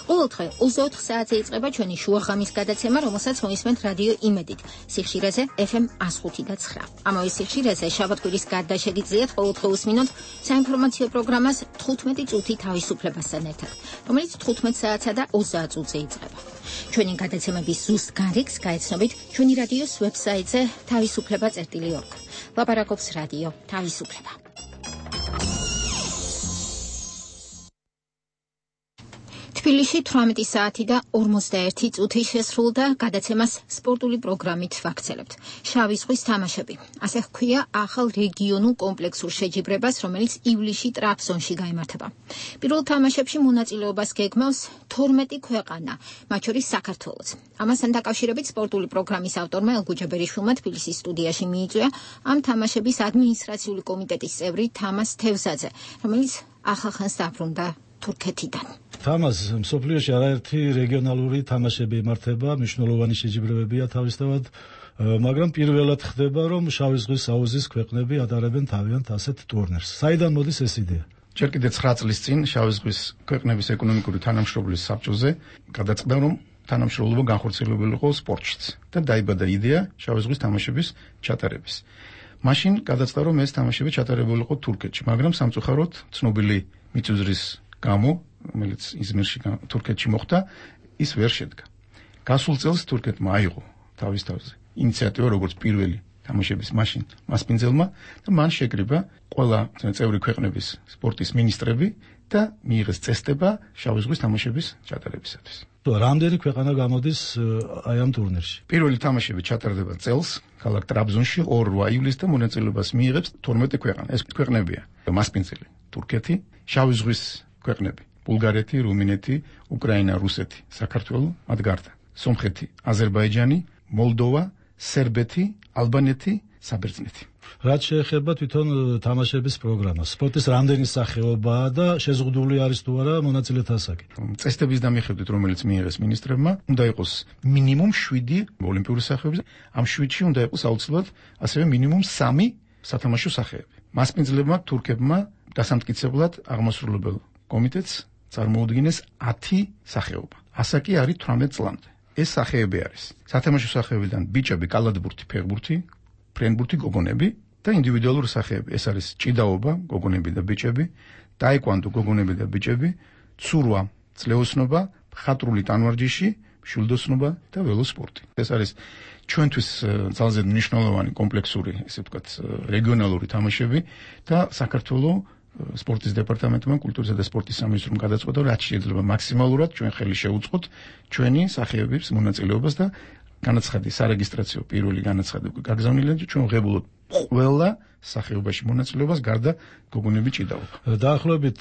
ყოველდღე ოცდაოთხ საათზე იწყება ჩვენი შუაღამის გადაცემა, რომელსაც მოისმენთ რადიო იმედით სიხშირეზე ეფ ემ ხუთი და ცხრა. ამავე სიხშირეზე შაბათ-კვირის გარდა შეგიძლიათ ყოველდღე უსმინოთ საინფორმაციო პროგრამას თხუთმეტი წუთი თავისუფლებასთან ერთად, რომელიც თხუთმეტ საათსა და ოცდაათ წუთზე იწყება. ჩვენი გადაცემების ზუსტ გარიგს გაეცნობით ჩვენი რადიოს ვებსაიტზე თავისუფლება წერტილი ორგ. ლაპარაკობს რადიო თავისუფლება. თბილისში თვრამეტი საათი და ორმოცდაერთი წუთი შესრულდა გადაცემას სპორტული პროგრამით ვაქცელებთ. შავი ზღვის თამაშები. ასე ჰქვია ახალ რეგიონულ კომპლექსურ შეჯიბრებას, რომელიც ივლისში ტრაბზონში გაიმართება. პირველ თამაშებში მონაწილეობას გეგმავს თორმეტი ქვეყანა, მათ შორის საქართველოც. ამასთან დაკავშირებით სპორტული პროგრამის ავტორმა ელგუჯა ბერიშვილმა თბილისის სტუდიაში მიიწვია ამ თამაშების ადმინისტრაციული კომიტეტის წევრი თამას თევზაძე, რომელიც ახალხანს დაბრუნდა თურქეთიდან. თამას მსოფლიოში არაერთი რეგიონალური თამაშები იმართება, მნიშვნელოვანი შეჯიბრებებია თავისთავად, მაგრამ პირველად ხდება, რომ შავი ზღვის აუზის ქვეყნები ატარებენ თავიანთ ასეთ ტურნირს. საიდან მოდის ეს იდეა? ჯერ კიდევ ცხრა წლის წინ შავი ზღვის ქვეყნების ეკონომიკური თანამშრომლობის საბჭოზე გადაწყდა, რომ თანამშრომლობა განხორციელებული იყო სპორტშიც და დაიბადა იდეა შავი ზღვის თამაშების ჩატარების. მაშინ გადაწყდა, რომ ეს თამაშები ჩატარებული იყო თურქეთში, მაგრამ სამწუხაროდ ცნობილი მიწუძრის გამო, რომელიც იზმირში თურქეთში მოხდა, ის ვერ შედგა. გასულ წელს თურქეთმა აიღო თავის თავზე ინიციატივა, როგორც პირველი თამაშების მაშინ მასპინძელმა და მან შეკრიბა ყველა წევრი ქვეყნების სპორტის მინისტრები და მიიღეს წესდება შავი ზღვის თამაშების ჩატარებისათვის. რამდენი ქვეყანა გამოდის აი ამ ტურნირში? პირველი თამაშები ჩატარდება წელს ქალაქ ტრაბზონში ორ რვა ივლისს და მონაწილეობას მიიღებს თორმეტი ქვეყანა. ეს ქვეყნებია მასპინძელი თურქეთი, შავი ზღვის ქვეყნები ბულგარეთი, რუმინეთი, უკრაინა, რუსეთი, საქართველო, მათ გარდა სომხეთი, აზერბაიჯანი, მოლდოვა, სერბეთი, ალბანეთი, საბერძნეთი. რაც შეეხება თვითონ თამაშების პროგრამას, სპორტის რამდენი სახეობაა და შეზღუდული არის თუ არა მონაწილეთა ასაკი? წესდების დამიხედვით, რომელიც მიიღეს მინისტრებმა, უნდა იყოს მინიმუმ შვიდი ოლიმპიური სახეობები, ამ შვიდში უნდა იყოს აუცილებლად ასევე მინიმუმ სამი სათამაშო სახეები. მასპინძლებმა თურქებმა დასამტკიცებლად აღმასრულებელ კომიტეტს წარმოუდგინეს ათი სახეობა. ასაკი არის თვრამეტ წლამდე. ეს სახეები არის სათამაშო სახეებიდან ბიჭები, კალათბურთი, ფეხბურთი, ფრენბურთი, გოგონები და ინდივიდუალური სახეები. ეს არის ჭიდაობა, გოგონები და ბიჭები, ტაეკვანდო, გოგონები და ბიჭები, ცურვა, ძლეოსნობა, მხატვრული ტანვარჯიში, მშვილდოსნობა და ველოსპორტი. ეს არის ჩვენთვის ძალზე მნიშვნელოვანი კომპლექსური, ესე ვთქვათ, რეგიონალური თამაშები და საქართველოს სპორტის დეპარტამენტმა, კულტურისა და სპორტის სამინისტრომ გადაწყვეტა, რაც შეიძლება მაქსიმალურად ჩვენ ხელი შევუწყოთ ჩვენი სახეობების მონაწილეობას და განაცხადი სარეგისტრაციო პირველი განაცხადი გაგზავნილია, ჩვენ ვღებულობთ ყველა სახეობაში მონაწილეობას გარდა გოგონები ჭიდაობა. დაახლოებით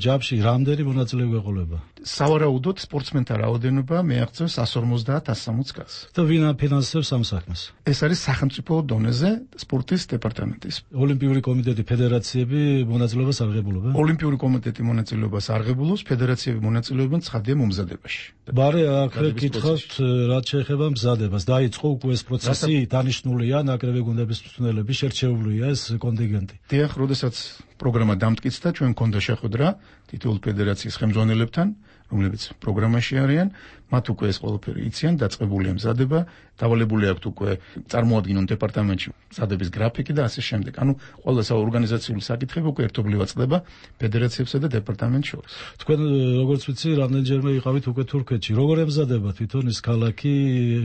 ჯამში რამდენი მონაწილე გვეყოლება? სავარაუდოდ სპორტსმენთა რაოდენობა მიაღწევს one hundred fifty-one one hundred კას. და ვინ აფინანსებს ამ საქმეს? ეს არის სახელმწიფო დონეზე სპორტის დეპარტამენტის. ოლიმპიური კომიტეტი, ფედერაციები მონაწილეობას არ ღებულობენ? ოლიმპიური კომიტეტი მონაწილეობას არ ღებულობს, ფედერაციები მონაწილეობენ ცხადია მომზადებაში. ბარე აქ კითხავთ, რაც შეეხება მზადებას, დაიწყო უკვე ეს პროცესი, დანიშნულია ნაკრები გუნდების მწვრთნელები, შერჩეულია ეს კონტინგენტი. დიახ, როდესაც პროგრამა დამტკიცდა, ჩვენ მქონდა შეხვედრა თითოეულ ფედერაციის ხელმძღვანელებთან, რომლებიც პროგრამაში არიან, მათ უკვე ეს ყველაფერი იციან, დაწყებულია მზადება, დავალებული აქვთ უკვე წარმოადგინონ დეპარტამენტში მზადების გრაფიკი და ასე შემდეგ. ანუ ყველა საორგანიზაციული საკითხები უკვე ერთობლივად წდება ფედერაციებსა და დეპარტამენტს შორის. თქვენ როგორც ვიცი, რამდენჯერმე იყავით უკვე თურქეთში. როგორ ემზადება თვითონ ის ქალაქი,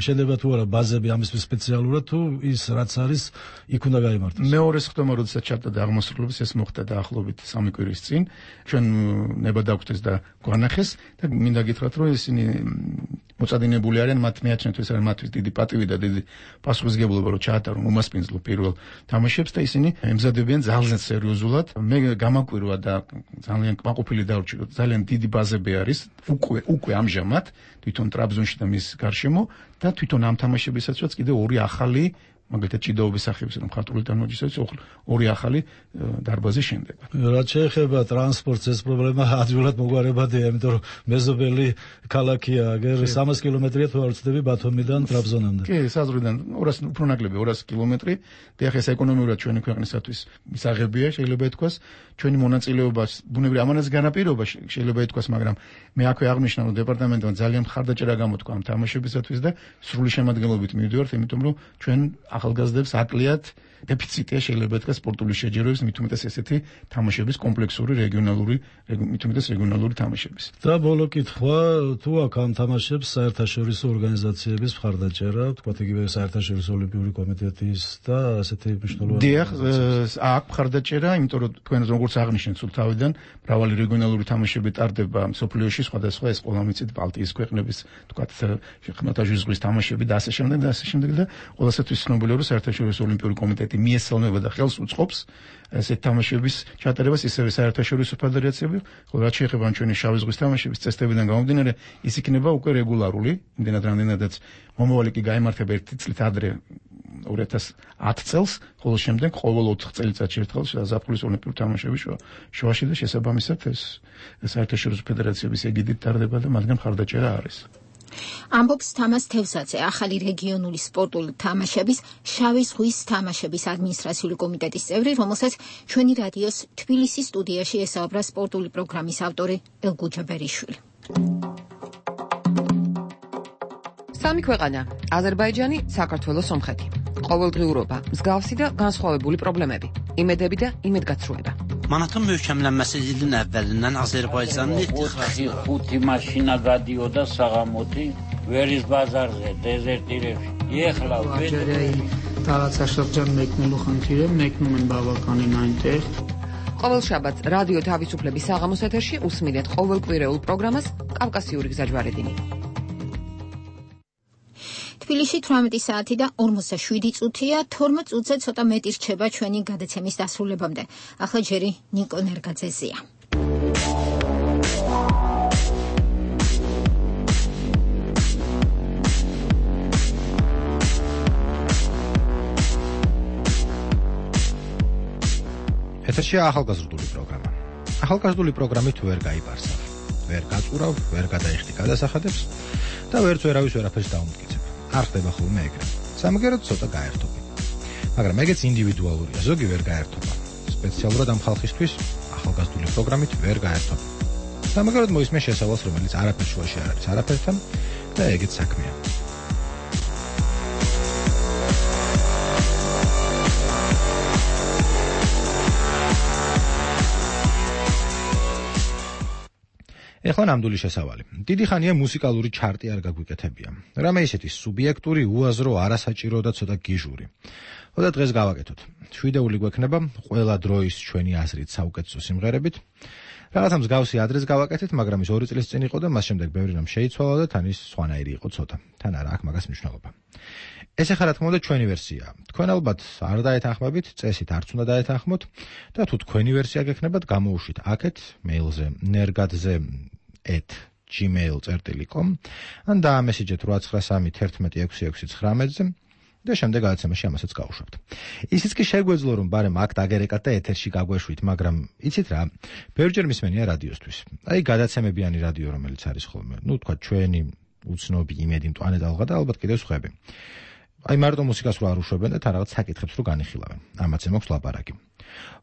შეიძლება თუ არა ბაზები ამისთვის სპეციალურად თუ ის რაც არის იქ უნდა გაიმართოს. მეორე ხდომა როდესაც ჩატარდა აღმასრულების ეს მოხდა დაახლოებით სამი კვირის წინ. ჩვენ ნება დაგვწეს და გვანახეს და მინდა გითხრათ რომ ისინი მოწადინებული არიან მათ მეაჩნიათ ეს არის მათთვის დიდი პატივი და დიდი პასუხისმგებლობა რომ ჩაატარონ უმასპინძლო პირველ თამაშებს და ისინი ემზადებიან ძალიან სერიოზულად. მე გამაკვირვა და ძალიან კმაყოფილი დავრჩი რომ ძალიან დიდი ბაზები არის უკვე უკვე ამჟამად თვითონ ტრაბზონში და მის გარშემო და თვითონ ამ თამაშებისაცაც კიდე ორი ახალი მაგალითად ჭიდაობის სახების რომ ხარტული თანმოჯისოც ორი ახალი დარბაზი შენდება. რაც შეეხება ტრანსპორტს ეს პრობლემა ადვილად მოგვარებადია, იმიტომ რომ მეზობელი ქალაქია, აგერ სამას კილომეტრია თუ არ ვცდები ბათუმიდან ტრაბზონამდე. კი, საზღვრიდან ორას უფრო ნაკლები ორას კილომეტრი. და ახლა ეს ეკონომიურად ჩვენი ქვეყნისათვის მისაღებია, შეიძლება ითქვას. ჩვენი მონაწილეობა ბუნებრივი ამანაც განაპირობა შეიძლება ითქვას, მაგრამ მე აქვე აღნიშნა რომ დეპარტამენტმა ძალიან მხარდაჭერა გამოთქვა ამ თამაშებისათვის და სრული შემადგენლობით მივდივართ, იმიტომ რომ ჩვენ ახალგაზრდებს აკლიათ დეფიციტია შეიძლება ითქვას სპორტული შეჯიბრების, მით უმეტეს ესეთი თამაშების კომპლექსური რეგიონალური, მით უმეტეს რეგიონალური თამაშების. და ბოლო კითხვა, თუ აქ ამ თამაშებს საერთაშორისო ორგანიზაციების მხარდაჭერა, თქვათ იგივე საერთაშორისო ოლიმპიური კომიტეტის და ასეთი მნიშვნელოვანი. დიახ, აქ მხარდაჭერა, იმიტომ რომ თქვენ როგორც აღნიშნეთ სულ თავიდან, მრავალი რეგიონალური თამაშები ტარდება მსოფლიოში, სხვადასხვა ეს ყველა მიცით ბალტიის ქვეყნების, თქვათ ხმელთაშუა ზღვის თამაშები და ასე შემდეგ და ასე შემდეგ და ყველასათვის ცნობილია რომ საერთაშორისო ოლიმპიური კომიტეტი მიესალმება და ხელს უწყობს ესეთ თამაშების ჩატარებას ისევე საერთაშორისო ფედერაციები, ხოლო რაც შეეხება ჩვენი შავი ზღვის თამაშების წესდებიდან გამომდინარე, ის იქნება უკვე რეგულარული, იმდენად რამდენადაც მომავალი კი გაიმართება ერთი წლით ადრე ორი ათას ათი წელს, ხოლო შემდეგ ყოველ ოთხ წელიწადში ერთხელ ზაფხულის ოლიმპიური თამაშები შუაში და შესაბამისად ეს საერთაშორისო ფედერაციების ეგიდით ტარდება და მათგან მხარდაჭერა არის. ამბობს თამას თევზაძე, ახალი რეგიონული სპორტული თამაშების შავი ზღვის თამაშების ადმინისტრაციული კომიტეტის წევრი, რომელსაც ჩვენი რადიოს თბილისის სტუდიაში ესაუბრა სპორტული პროგრამის ავტორი ელგუჯა ბერიშვილი. სამი ქვეყანა: აზერბაიჯანი, საქართველო, სომხეთი. ყოველდღიურობა, მსგავსი და განსხვავებული პრობლემები, იმედები და იმედგაცრუება. Manatın möhkəmlənməsi ilin əvvəlindən Azərbaycanın ixtixası xuti maşina qadioda sağamoti veriz bazarზე dezertirებში. Ეხლა ვეჯერეი տարածաշրջան մեկնելու խնդիրը մեկնում են բավականին այնտեղ. ყოველ შაბათს რადიო თავისუფლების საღამოს ეთერში უსმენთ ყოველკვირეულ პროგრამას კავკასიური გზაჯვარედინი. თბილისში თვრამეტი საათი და ორმოცდაშვიდი წუთია, თორმეტ წუთზე ცოტა მეტი რჩება ჩვენი გადაცემის დასრულებამდე. ახლა ჯერი ნიკო ნერგაძეზია. ეთერშია ახალგაზრდული პროგრამა. ახალგაზრდული პროგრამით ვერ გაიბარსავ, ვერ გაწურავ, ვერ გადაიხდი გადასახადებს და ვერც ვერავის ვერაფერს დაუმტკიცებ. არ ხდება ხოლმე ეგრე. სამაგეროდ ცოტა გაერთობი. მაგრამ ეგეც ინდივიდუალურია, ზოგი ვერ გაერთობა. სპეციალურად ამ ხალხისთვის ახალგაზრდული პროგრამით ვერ გაერთობა. სამაგეროდ მოისმე შესავალს, რომელიც არაფერ შუაში არ არის არაფერთან და ეგეც საქმეა. ეხლა ნამდვილი შესავალი. დიდი ხანია მუსიკალური ჩარტი არ გაგვიკეთებია. რამე ისეთი სუბიექტური, უაზრო, არასაჭირო და ცოტა გიჟური. ხოდა დღეს გავაკეთოთ. შვიდეული გვექნება ყველა დროის ჩვენი აზრით საუკეთესო სიმღერებით. რაღაცა მსგავსი ადრეს გავაკეთეთ, მაგრამ ის ორი წლის წინ იყო და მას შემდეგ ბევრი რამ შეიცვალა და თან ის სხვანაირი იყო ცოტა. თან არა აქვს მაგას მნიშვნელობა. ეს ახლა რა თქმა უნდა ჩვენი ვერსიაა. თქვენ ალბათ არ დაეთანხმებით, წესით არც უნდა დაეთანხმოთ და თუ თქვენი ვერსია გექნებათ, გამოუშვით აქეთ მეილზე nergadze at gmail dot com ან დაამესიჯეთ ორი ცხრა სამი ერთმეტი ექვსი ექვსი ცხრამეტზე და შემდეგ გადაცემაში ამასაც გავუშვებთ. ისიც კი შეგვეძლო რომ ბარემ აქ დაგერეკათ და ეთერში გაგვეშვით, მაგრამ იცით რა, ბევრჯერ მისმენია რადიოსთვის. აი გადაცემებიანი რადიო რომელიც არის ხოლმე, ну თქვა ჩვენი უცნობი იმედი მტვანე დალღა და ალბათ კიდევ სხვები. აი მარტო მუსიკას რო არ უშვებენ და თან რაღაც საკითხებს რო განიხილავენ. ამაც ემოქვს ლაპარაკი.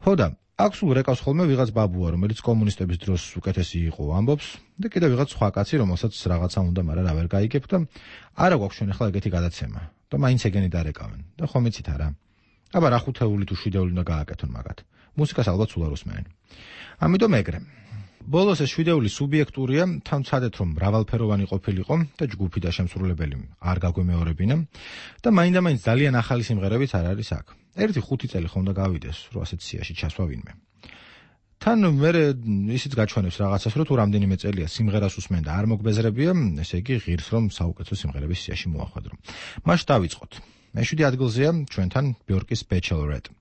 ხო და აქ სულ რეკავს ხოლმე ვიღაც ბაბუა, რომელიც კომუნისტების დროს უკეთესი იყო, ამბობს და კიდევ ვიღაც სხვა კაცი, რომელსაც რაღაცა უნდა, მაგრამ რა ვერ გაიგებ და არა გვაქვს ჩვენ ახლა ეგეთი გადაცემა და მაინც ეგენი დარეკავენ და ხომ იცით არა? აბა რა ხუთეული თუ შვიდეული უნდა გააკეთონ მაგათ. მუსიკას ალბათ სულ არ უსმენენ. ამიტომ ეგრე. ბოლოს ეს შვიდეული სუბიექტურია, თან ვცადეთ რომ მრავალფეროვანი ყოფილიყო და ჯგუფი და შემსრულებელი არ გაგვემეორებინა და მაინდა-მაინც ძალიან ახალი სიმღერებიც არ არის აქ. ერთი ხუთი წელი ხომ და გავიდეს, რომ ასეთ სიაში ჩასვა ვინმე. თან მე ისიც გაჩვენებს რაღაცას, რომ თუ რამდენიმე წელია სიმღერას უსმენ და არ მოგბეზრებია, ესე იგი ღირს რომ საუკეთესო სიმღერების სიაში მოახვედრო. მაშ დავიწყოთ. მეშვიდე ადგილზეა ჩვენთან ბიორკის Bachelorette.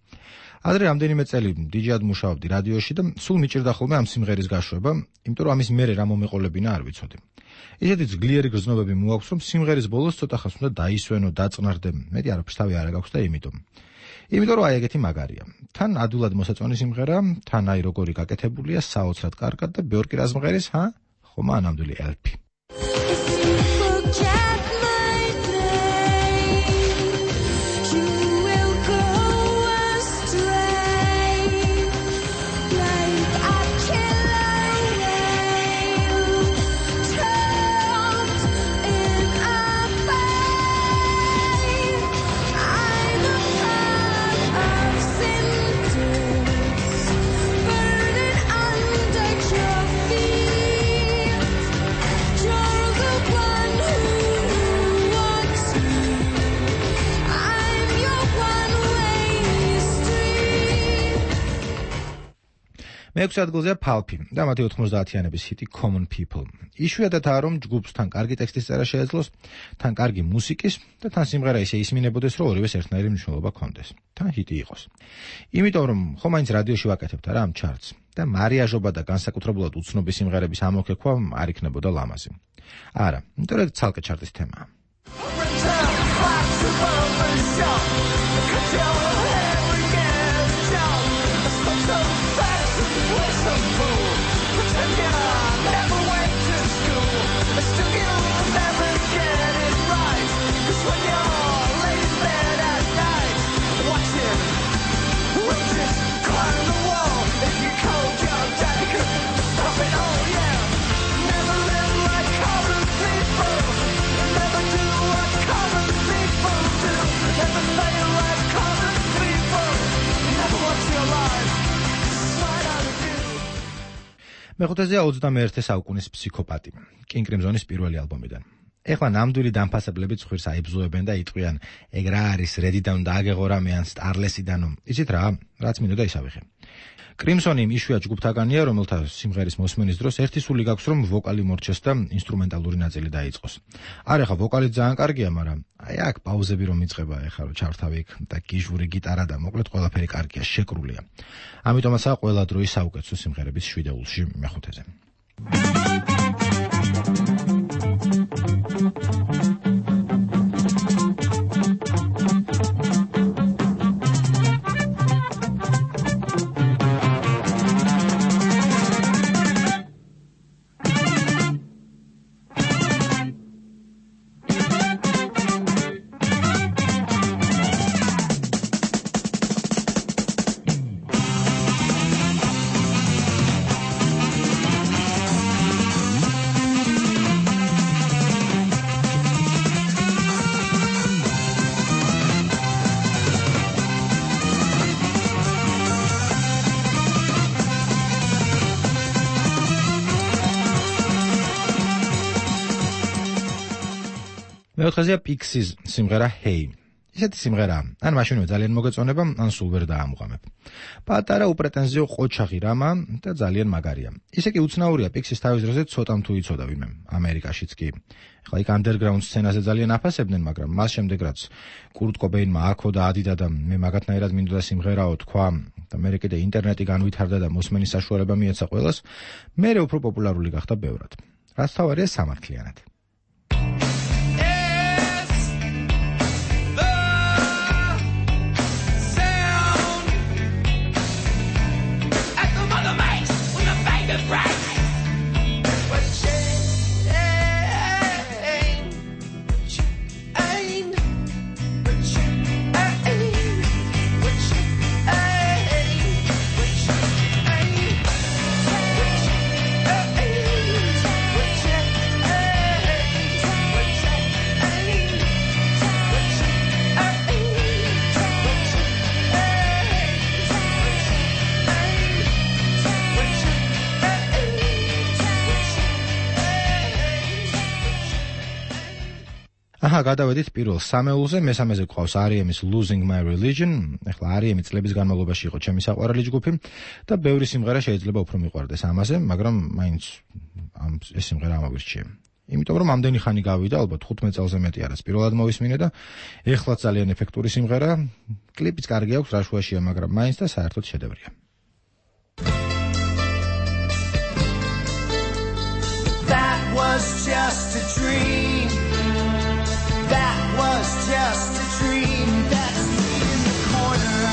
ადრე რამდენიმე წელი დიჯეად მუშაობდი რადიოში და სულ მიჭირდა ხოლმე ამ სიმღერის გაშვება, იმიტომ რომ ამის მერე რა მომეყოლებინა არ ვიცოდი. ისეთი ძლიერი გრძნობები მოაქვს, რომ სიმღერის ბოლოს ცოტა ხანს უნდა დაისვენო, დაწნარდე, მეტი არაფერს თავი არ გაქვს და იმიტომ. იმიტომ რომ აი ეგეთი მაგარია. თან ადვილად მოსაწონი სიმღერა, თან აი როგორი გაკეთებულია, საოცრად კარგად და ბიორკი რა სიმღერის, ჰა? ხომა ნამდვილი ელფი. მეექვსე ადგილზეა Pulp-ი და მათი ოთხმოცდაათიანების ჰიტი Common People. იშვიათადაა რომ ჯგუფს თან კარგი ტექსტის წერა შეეძლოს, თან კარგი მუსიკის და თან სიმღერა ისე ისმინებოდეს, რომ ორივეს ერთნაირი მნიშვნელობა ჰქონდეს. თან ჰიტი იყოს. იმიტომ რომ ხომ მაინც რადიოში ვაკეთებთ რა ამ ჩარტს და მარიაჟობა და განსაკუთრებულად უცნობი სიმღერების ამოქექვა არ იქნებოდა ლამაზი. არა, იმიტომ რომ ცალკე ჩარტის თემაა. მეხუთეზეა ოცდამეერთე საუკუნის ფსიქოპატი, King Crimson-ის პირველი ალბომიდან. ეხლა ნამდვილი დამფასებლები ცხვირს აიბზოებენ და იტყვიან, ეგ რა არის, რედიდან უნდა აგეღო რამე ან სტარლესიდანო. იცით რა, რაც მინდოდა ის ავიღე. Crimson-ი იმ იშვიათ ჯგუფთაგანია, რომელთა სიმღერის მოსმენის დროს ერთი სული გაქვს, რომ ვოკალი მორჩეს და ინსტრუმენტალური ნაწილი დაიწყოს. არ ეხლა ვოკალი ძალიან კარგია, მაგრამ აი აქ პაუზები რომ იწყება, ეხლა რომ ჩავრთავი იქ და გიჟური გიტარა და მოკლედ ყველაფერი კარგია, შეკრულია. ამიტომაცაა ყველა დროის საუკეთესო სიმღერების შვიდეულში მეხუთეზე. მეოთხეზეა Pixies სიმღერა Hey. ისეთი სიმღერა, ან მაშინვე ძალიან მოგეწონება, ან სულ ვერ დაამუღამებ. პატარა უპრეტენზიო ყოჩაღი რამა და ძალიან მაგარია. ისე კი უცნაურია Pixies თავის დროზე ცოტამ თუ იცოდა ვინმე, ამერიკაშიც კი. ეხლა იქ underground სცენაზე ძალიან აფასებდნენ, მაგრამ მას შემდეგ რაც Kurt Cobain-მა აქო და ადიდა და მე მაგათნაირად მინდოდა სიმღერაო თქვა და მე კიდე ინტერნეტი განვითარდა და მოსმენის საშუალება მიეცა ყველას, მე უფრო პოპულარული გახდა ბევრად. რაც თავარია სამართლიანად. აჰა, გადავედით პირველ სამეულზე, მესამეზე გვყავს არ ი ემის Losing My Religion. ეხლა არ ი ემი წლების განმავლობაში იყო ჩემი საყვარელი ჯგუფი და ბევრი სიმღერა შეიძლება უფრო მიყვარდეს ამაზე, მაგრამ მაინც ამ ეს სიმღერა ამოვირჩიე. იმიტომ რომ ამდენი ხანი გავიდა, ალბათ ხუთმეტ წელზე მეტი არის პირველად მოვისმინე და ეხლაც ძალიან ეფექტური სიმღერა, კლიპიც კარგი აქვს, რაშუაშია, მაგრამ მაინც და საერთოდ შედევრია. That was just a dream. That was just a dream. That's me in the corner.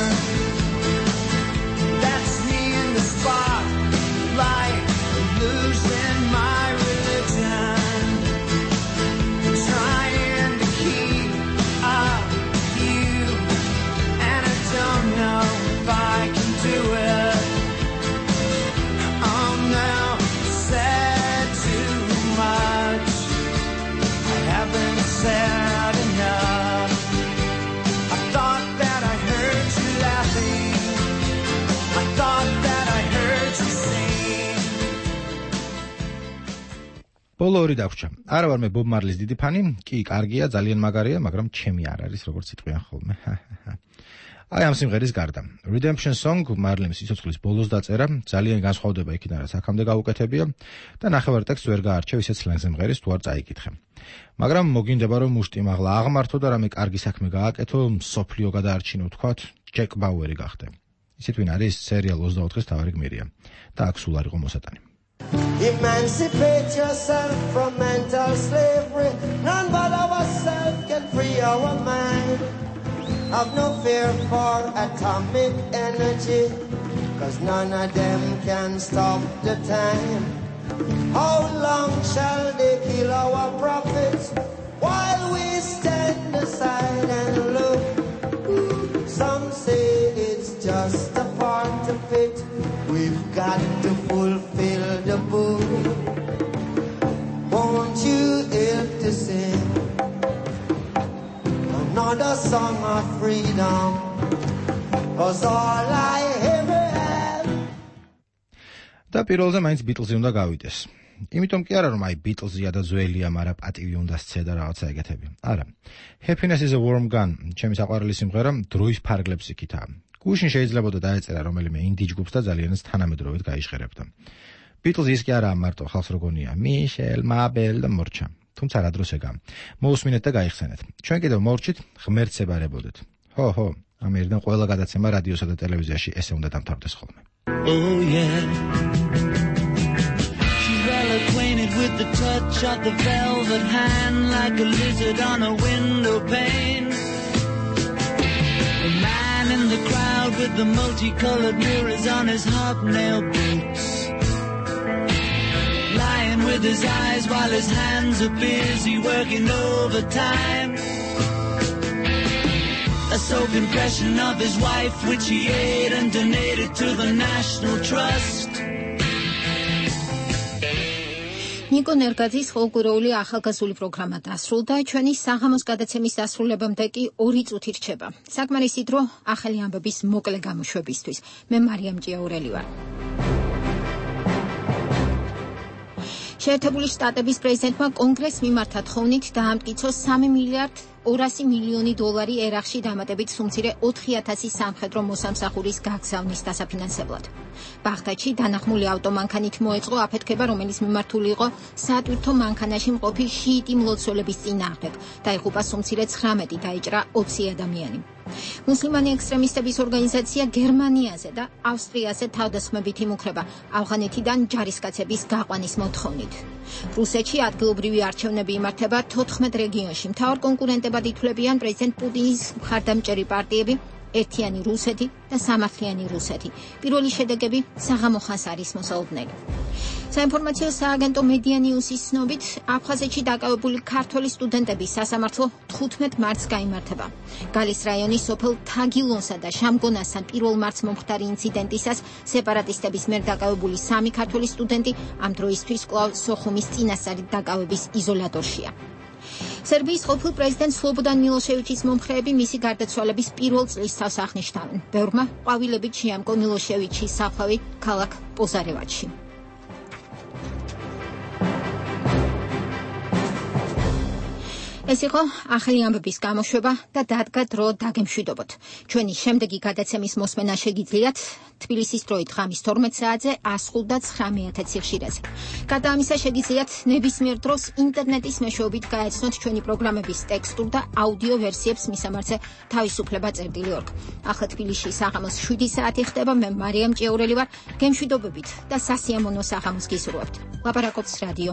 That's me in the spotlight, losing my religion, trying to keep up with you, and I don't know if I can do it. I'm now said too much. I haven't said enough. I thought that I heard you laughing. I thought that I heard you sing. ბოლო ორი დაგვრჩა. არა ვარ მე ბობ მარლის დიდი ფანი, კი, კარგია, ძალიან მაგარია, მაგრამ ჩემი არ არის, როგორც იტყვიან ხოლმე. აი ამ სიმღერის გარდა. Redemption Song მარლიმ სიცოცხლის ბოლოს დაწერა, ძალიან განსხვავდება იქიდან რაც აქამდე გაუკეთებია და ნახევარ ტექსტს ვერ გაარჩევ ისეთ სლენგზე მღერის თუ არ წაიკითხე. მაგრამ მოგინდება რომ მუშტი მაღლა აღმართო და რამე კარგი საქმე გააკეთო, სოფლიო გადაარჩინო თქვათ, ჯეკ ბაუერი გახდე. ისეთ ვინ არის სერიალ ოცდაოთხის თავარი გმირია და აქ სულ არ იყო მოსატანი. Emancipate yourself from mental slavery. None but ourselves can free our mind. Have no fear for atomic energy, cause none of them can stop the time. How long shall they kill our prophets while we stand aside and look? Some say it's just a part of it. We've got to fulfill the book. Won't you help to sing another song of freedom? Cause all I ever have. და პირველზე მაინც ბიტლზი უნდა გავიდეს. იმიტომ კი არა რომ აი ბიტლზია და ძველია, მაგრამ პატივი უნდა სცე და რაღაცა ეგეთები. არა. Happiness is a warm gun. ჩემი საყვარელი სიმღერა დროის ფარგლებს იქითაა. გუშინ შეიძლებოდა დაეწერა რომელიმე ინდი ჯგუფს და ძალიანაც თანამედროვედ გაიჟღერებდა. ბიტლზი ის კი არა მარტო ხალხს როგონია, მიშელ, მაბელ და მორჩა. თუმცა რა დროს ეგა. მოусმინეთ და გაიხსენეთ. ჩვენ კიდევ მორჩით, ღმერთს ებარებოდეთ. ხო, ხო, ამერიდან ყველა გადაცემა რადიოსა და ტელევიზიაში ესე უნდა დამთავრდეს ხოლმე. Oh yeah. She's well acquainted with the touch of the velvet hand, like a lizard on a window pane. The man in the crowd with the multicolored mirrors on his hobnail boots, lying with his eyes while his hands are busy working overtime. A soaked impression of his wife, which he ate and donated to the National Trust. ნიკო ნერგაძის ფოლკლორული ახალგაზრდული პროგრამა დასრულდა, ჩვენი საღამოს გადაცემის დასრულებამდე კი ორი წუთი რჩება. საკმარისი დრო ახალი ამბების მოკლე გამოშვებისთვის. მე მარიამ ჭიაურელი ვარ. შეერთებული შტატების პრეზიდენტმა კონგრესს მიმართა თხოვნით დაამტკიცო სამი მილიარდ ორასი მილიონი დოლარი ერაყში დამატებით სუმცირე ოთხი ათასი სამხედრო მოსამსახურის გაგზავნის დასაფინანსებლად. ბაღდადში დანახმული ავტომანქანით მოეწყო აფეთქება, რომელიც მიმართული იყო სატვირთო მანქანაში მყოფი შიიტი მლოცველების წინააღმდეგ. დაიღუპა სუმცირე ცხრამეტი, დაიჭრა ოცი ადამიანი. მუსლიმანი ექსტრემისტების ორგანიზაცია გერმანიაზე და ავსტრიაზე თავდასხმებით იმუქრება ავღანეთიდან ჯარისკაცების გაყვანის მოთხოვნით. რუსეთში ადგილობრივი არჩევნები იმართება თოთხმეტ რეგიონში. მთავარ კონკურენტებად ითვლებიან პრეზიდენტ პუტინის მხარდამჭერი პარტიები, ერთიანი რუსეთი და სამართლიანი რუსეთი. პირველი შედეგები საღამო ხანს არის მოსალოდნელი. საინფორმაციო სააგენტო მედია ნიუსის ცნობით, აფხაზეთში დაკავებული ქართველი სტუდენტების სასამართლო თხუთმეტ მარტს გაიმართება. გალის რაიონის სოფელ თაგილონსა და შამგონასთან პირველ მარტს მომხდარი ინციდენტისას სეპარატისტების მიერ დაკავებული სამი ქართველი სტუდენტი ამ დროისთვის კვლავ სოხუმის წინასწარი დაკავების იზოლატორშია. სერბიის ყოფილ პრეზიდენტ სლობოდან მილოშევიჩის მომხრეები მისი გარდაცვალების პირველ წლისთავს აღნიშნავენ. ბევრმა ყვავილებით შეამკო მილოშევიჩის საფლავი ქალაქ პოზარევაჩში. ეს იყო ახალი ამბების გამოშვება და დადგა დრო დაგემშვიდობოთ. ჩვენი შემდეგი გადაცემის მოსმენა შეგიძლიათ თბილისის დროით ღამის თორმეტ საათზე ას ხუთ და ცხრამეტ ათეც სიხშირეზე. გარდა ამისა შეგიძლიათ ნებისმიერ დროს ინტერნეტის მეშვეობით გაეცნოთ ჩვენი პროგრამების ტექსტურ და აუდიო ვერსიებს მისამართზე თავისუფლება წერტილი ორგ. ახლა თბილისში საღამოს შვიდი საათი ხდება. მე მარიამ ჭიაურელი ვარ. გემშვიდობებით და სასიამოვნო საღამოს გისურვებთ. ლაპარაკობს რადიო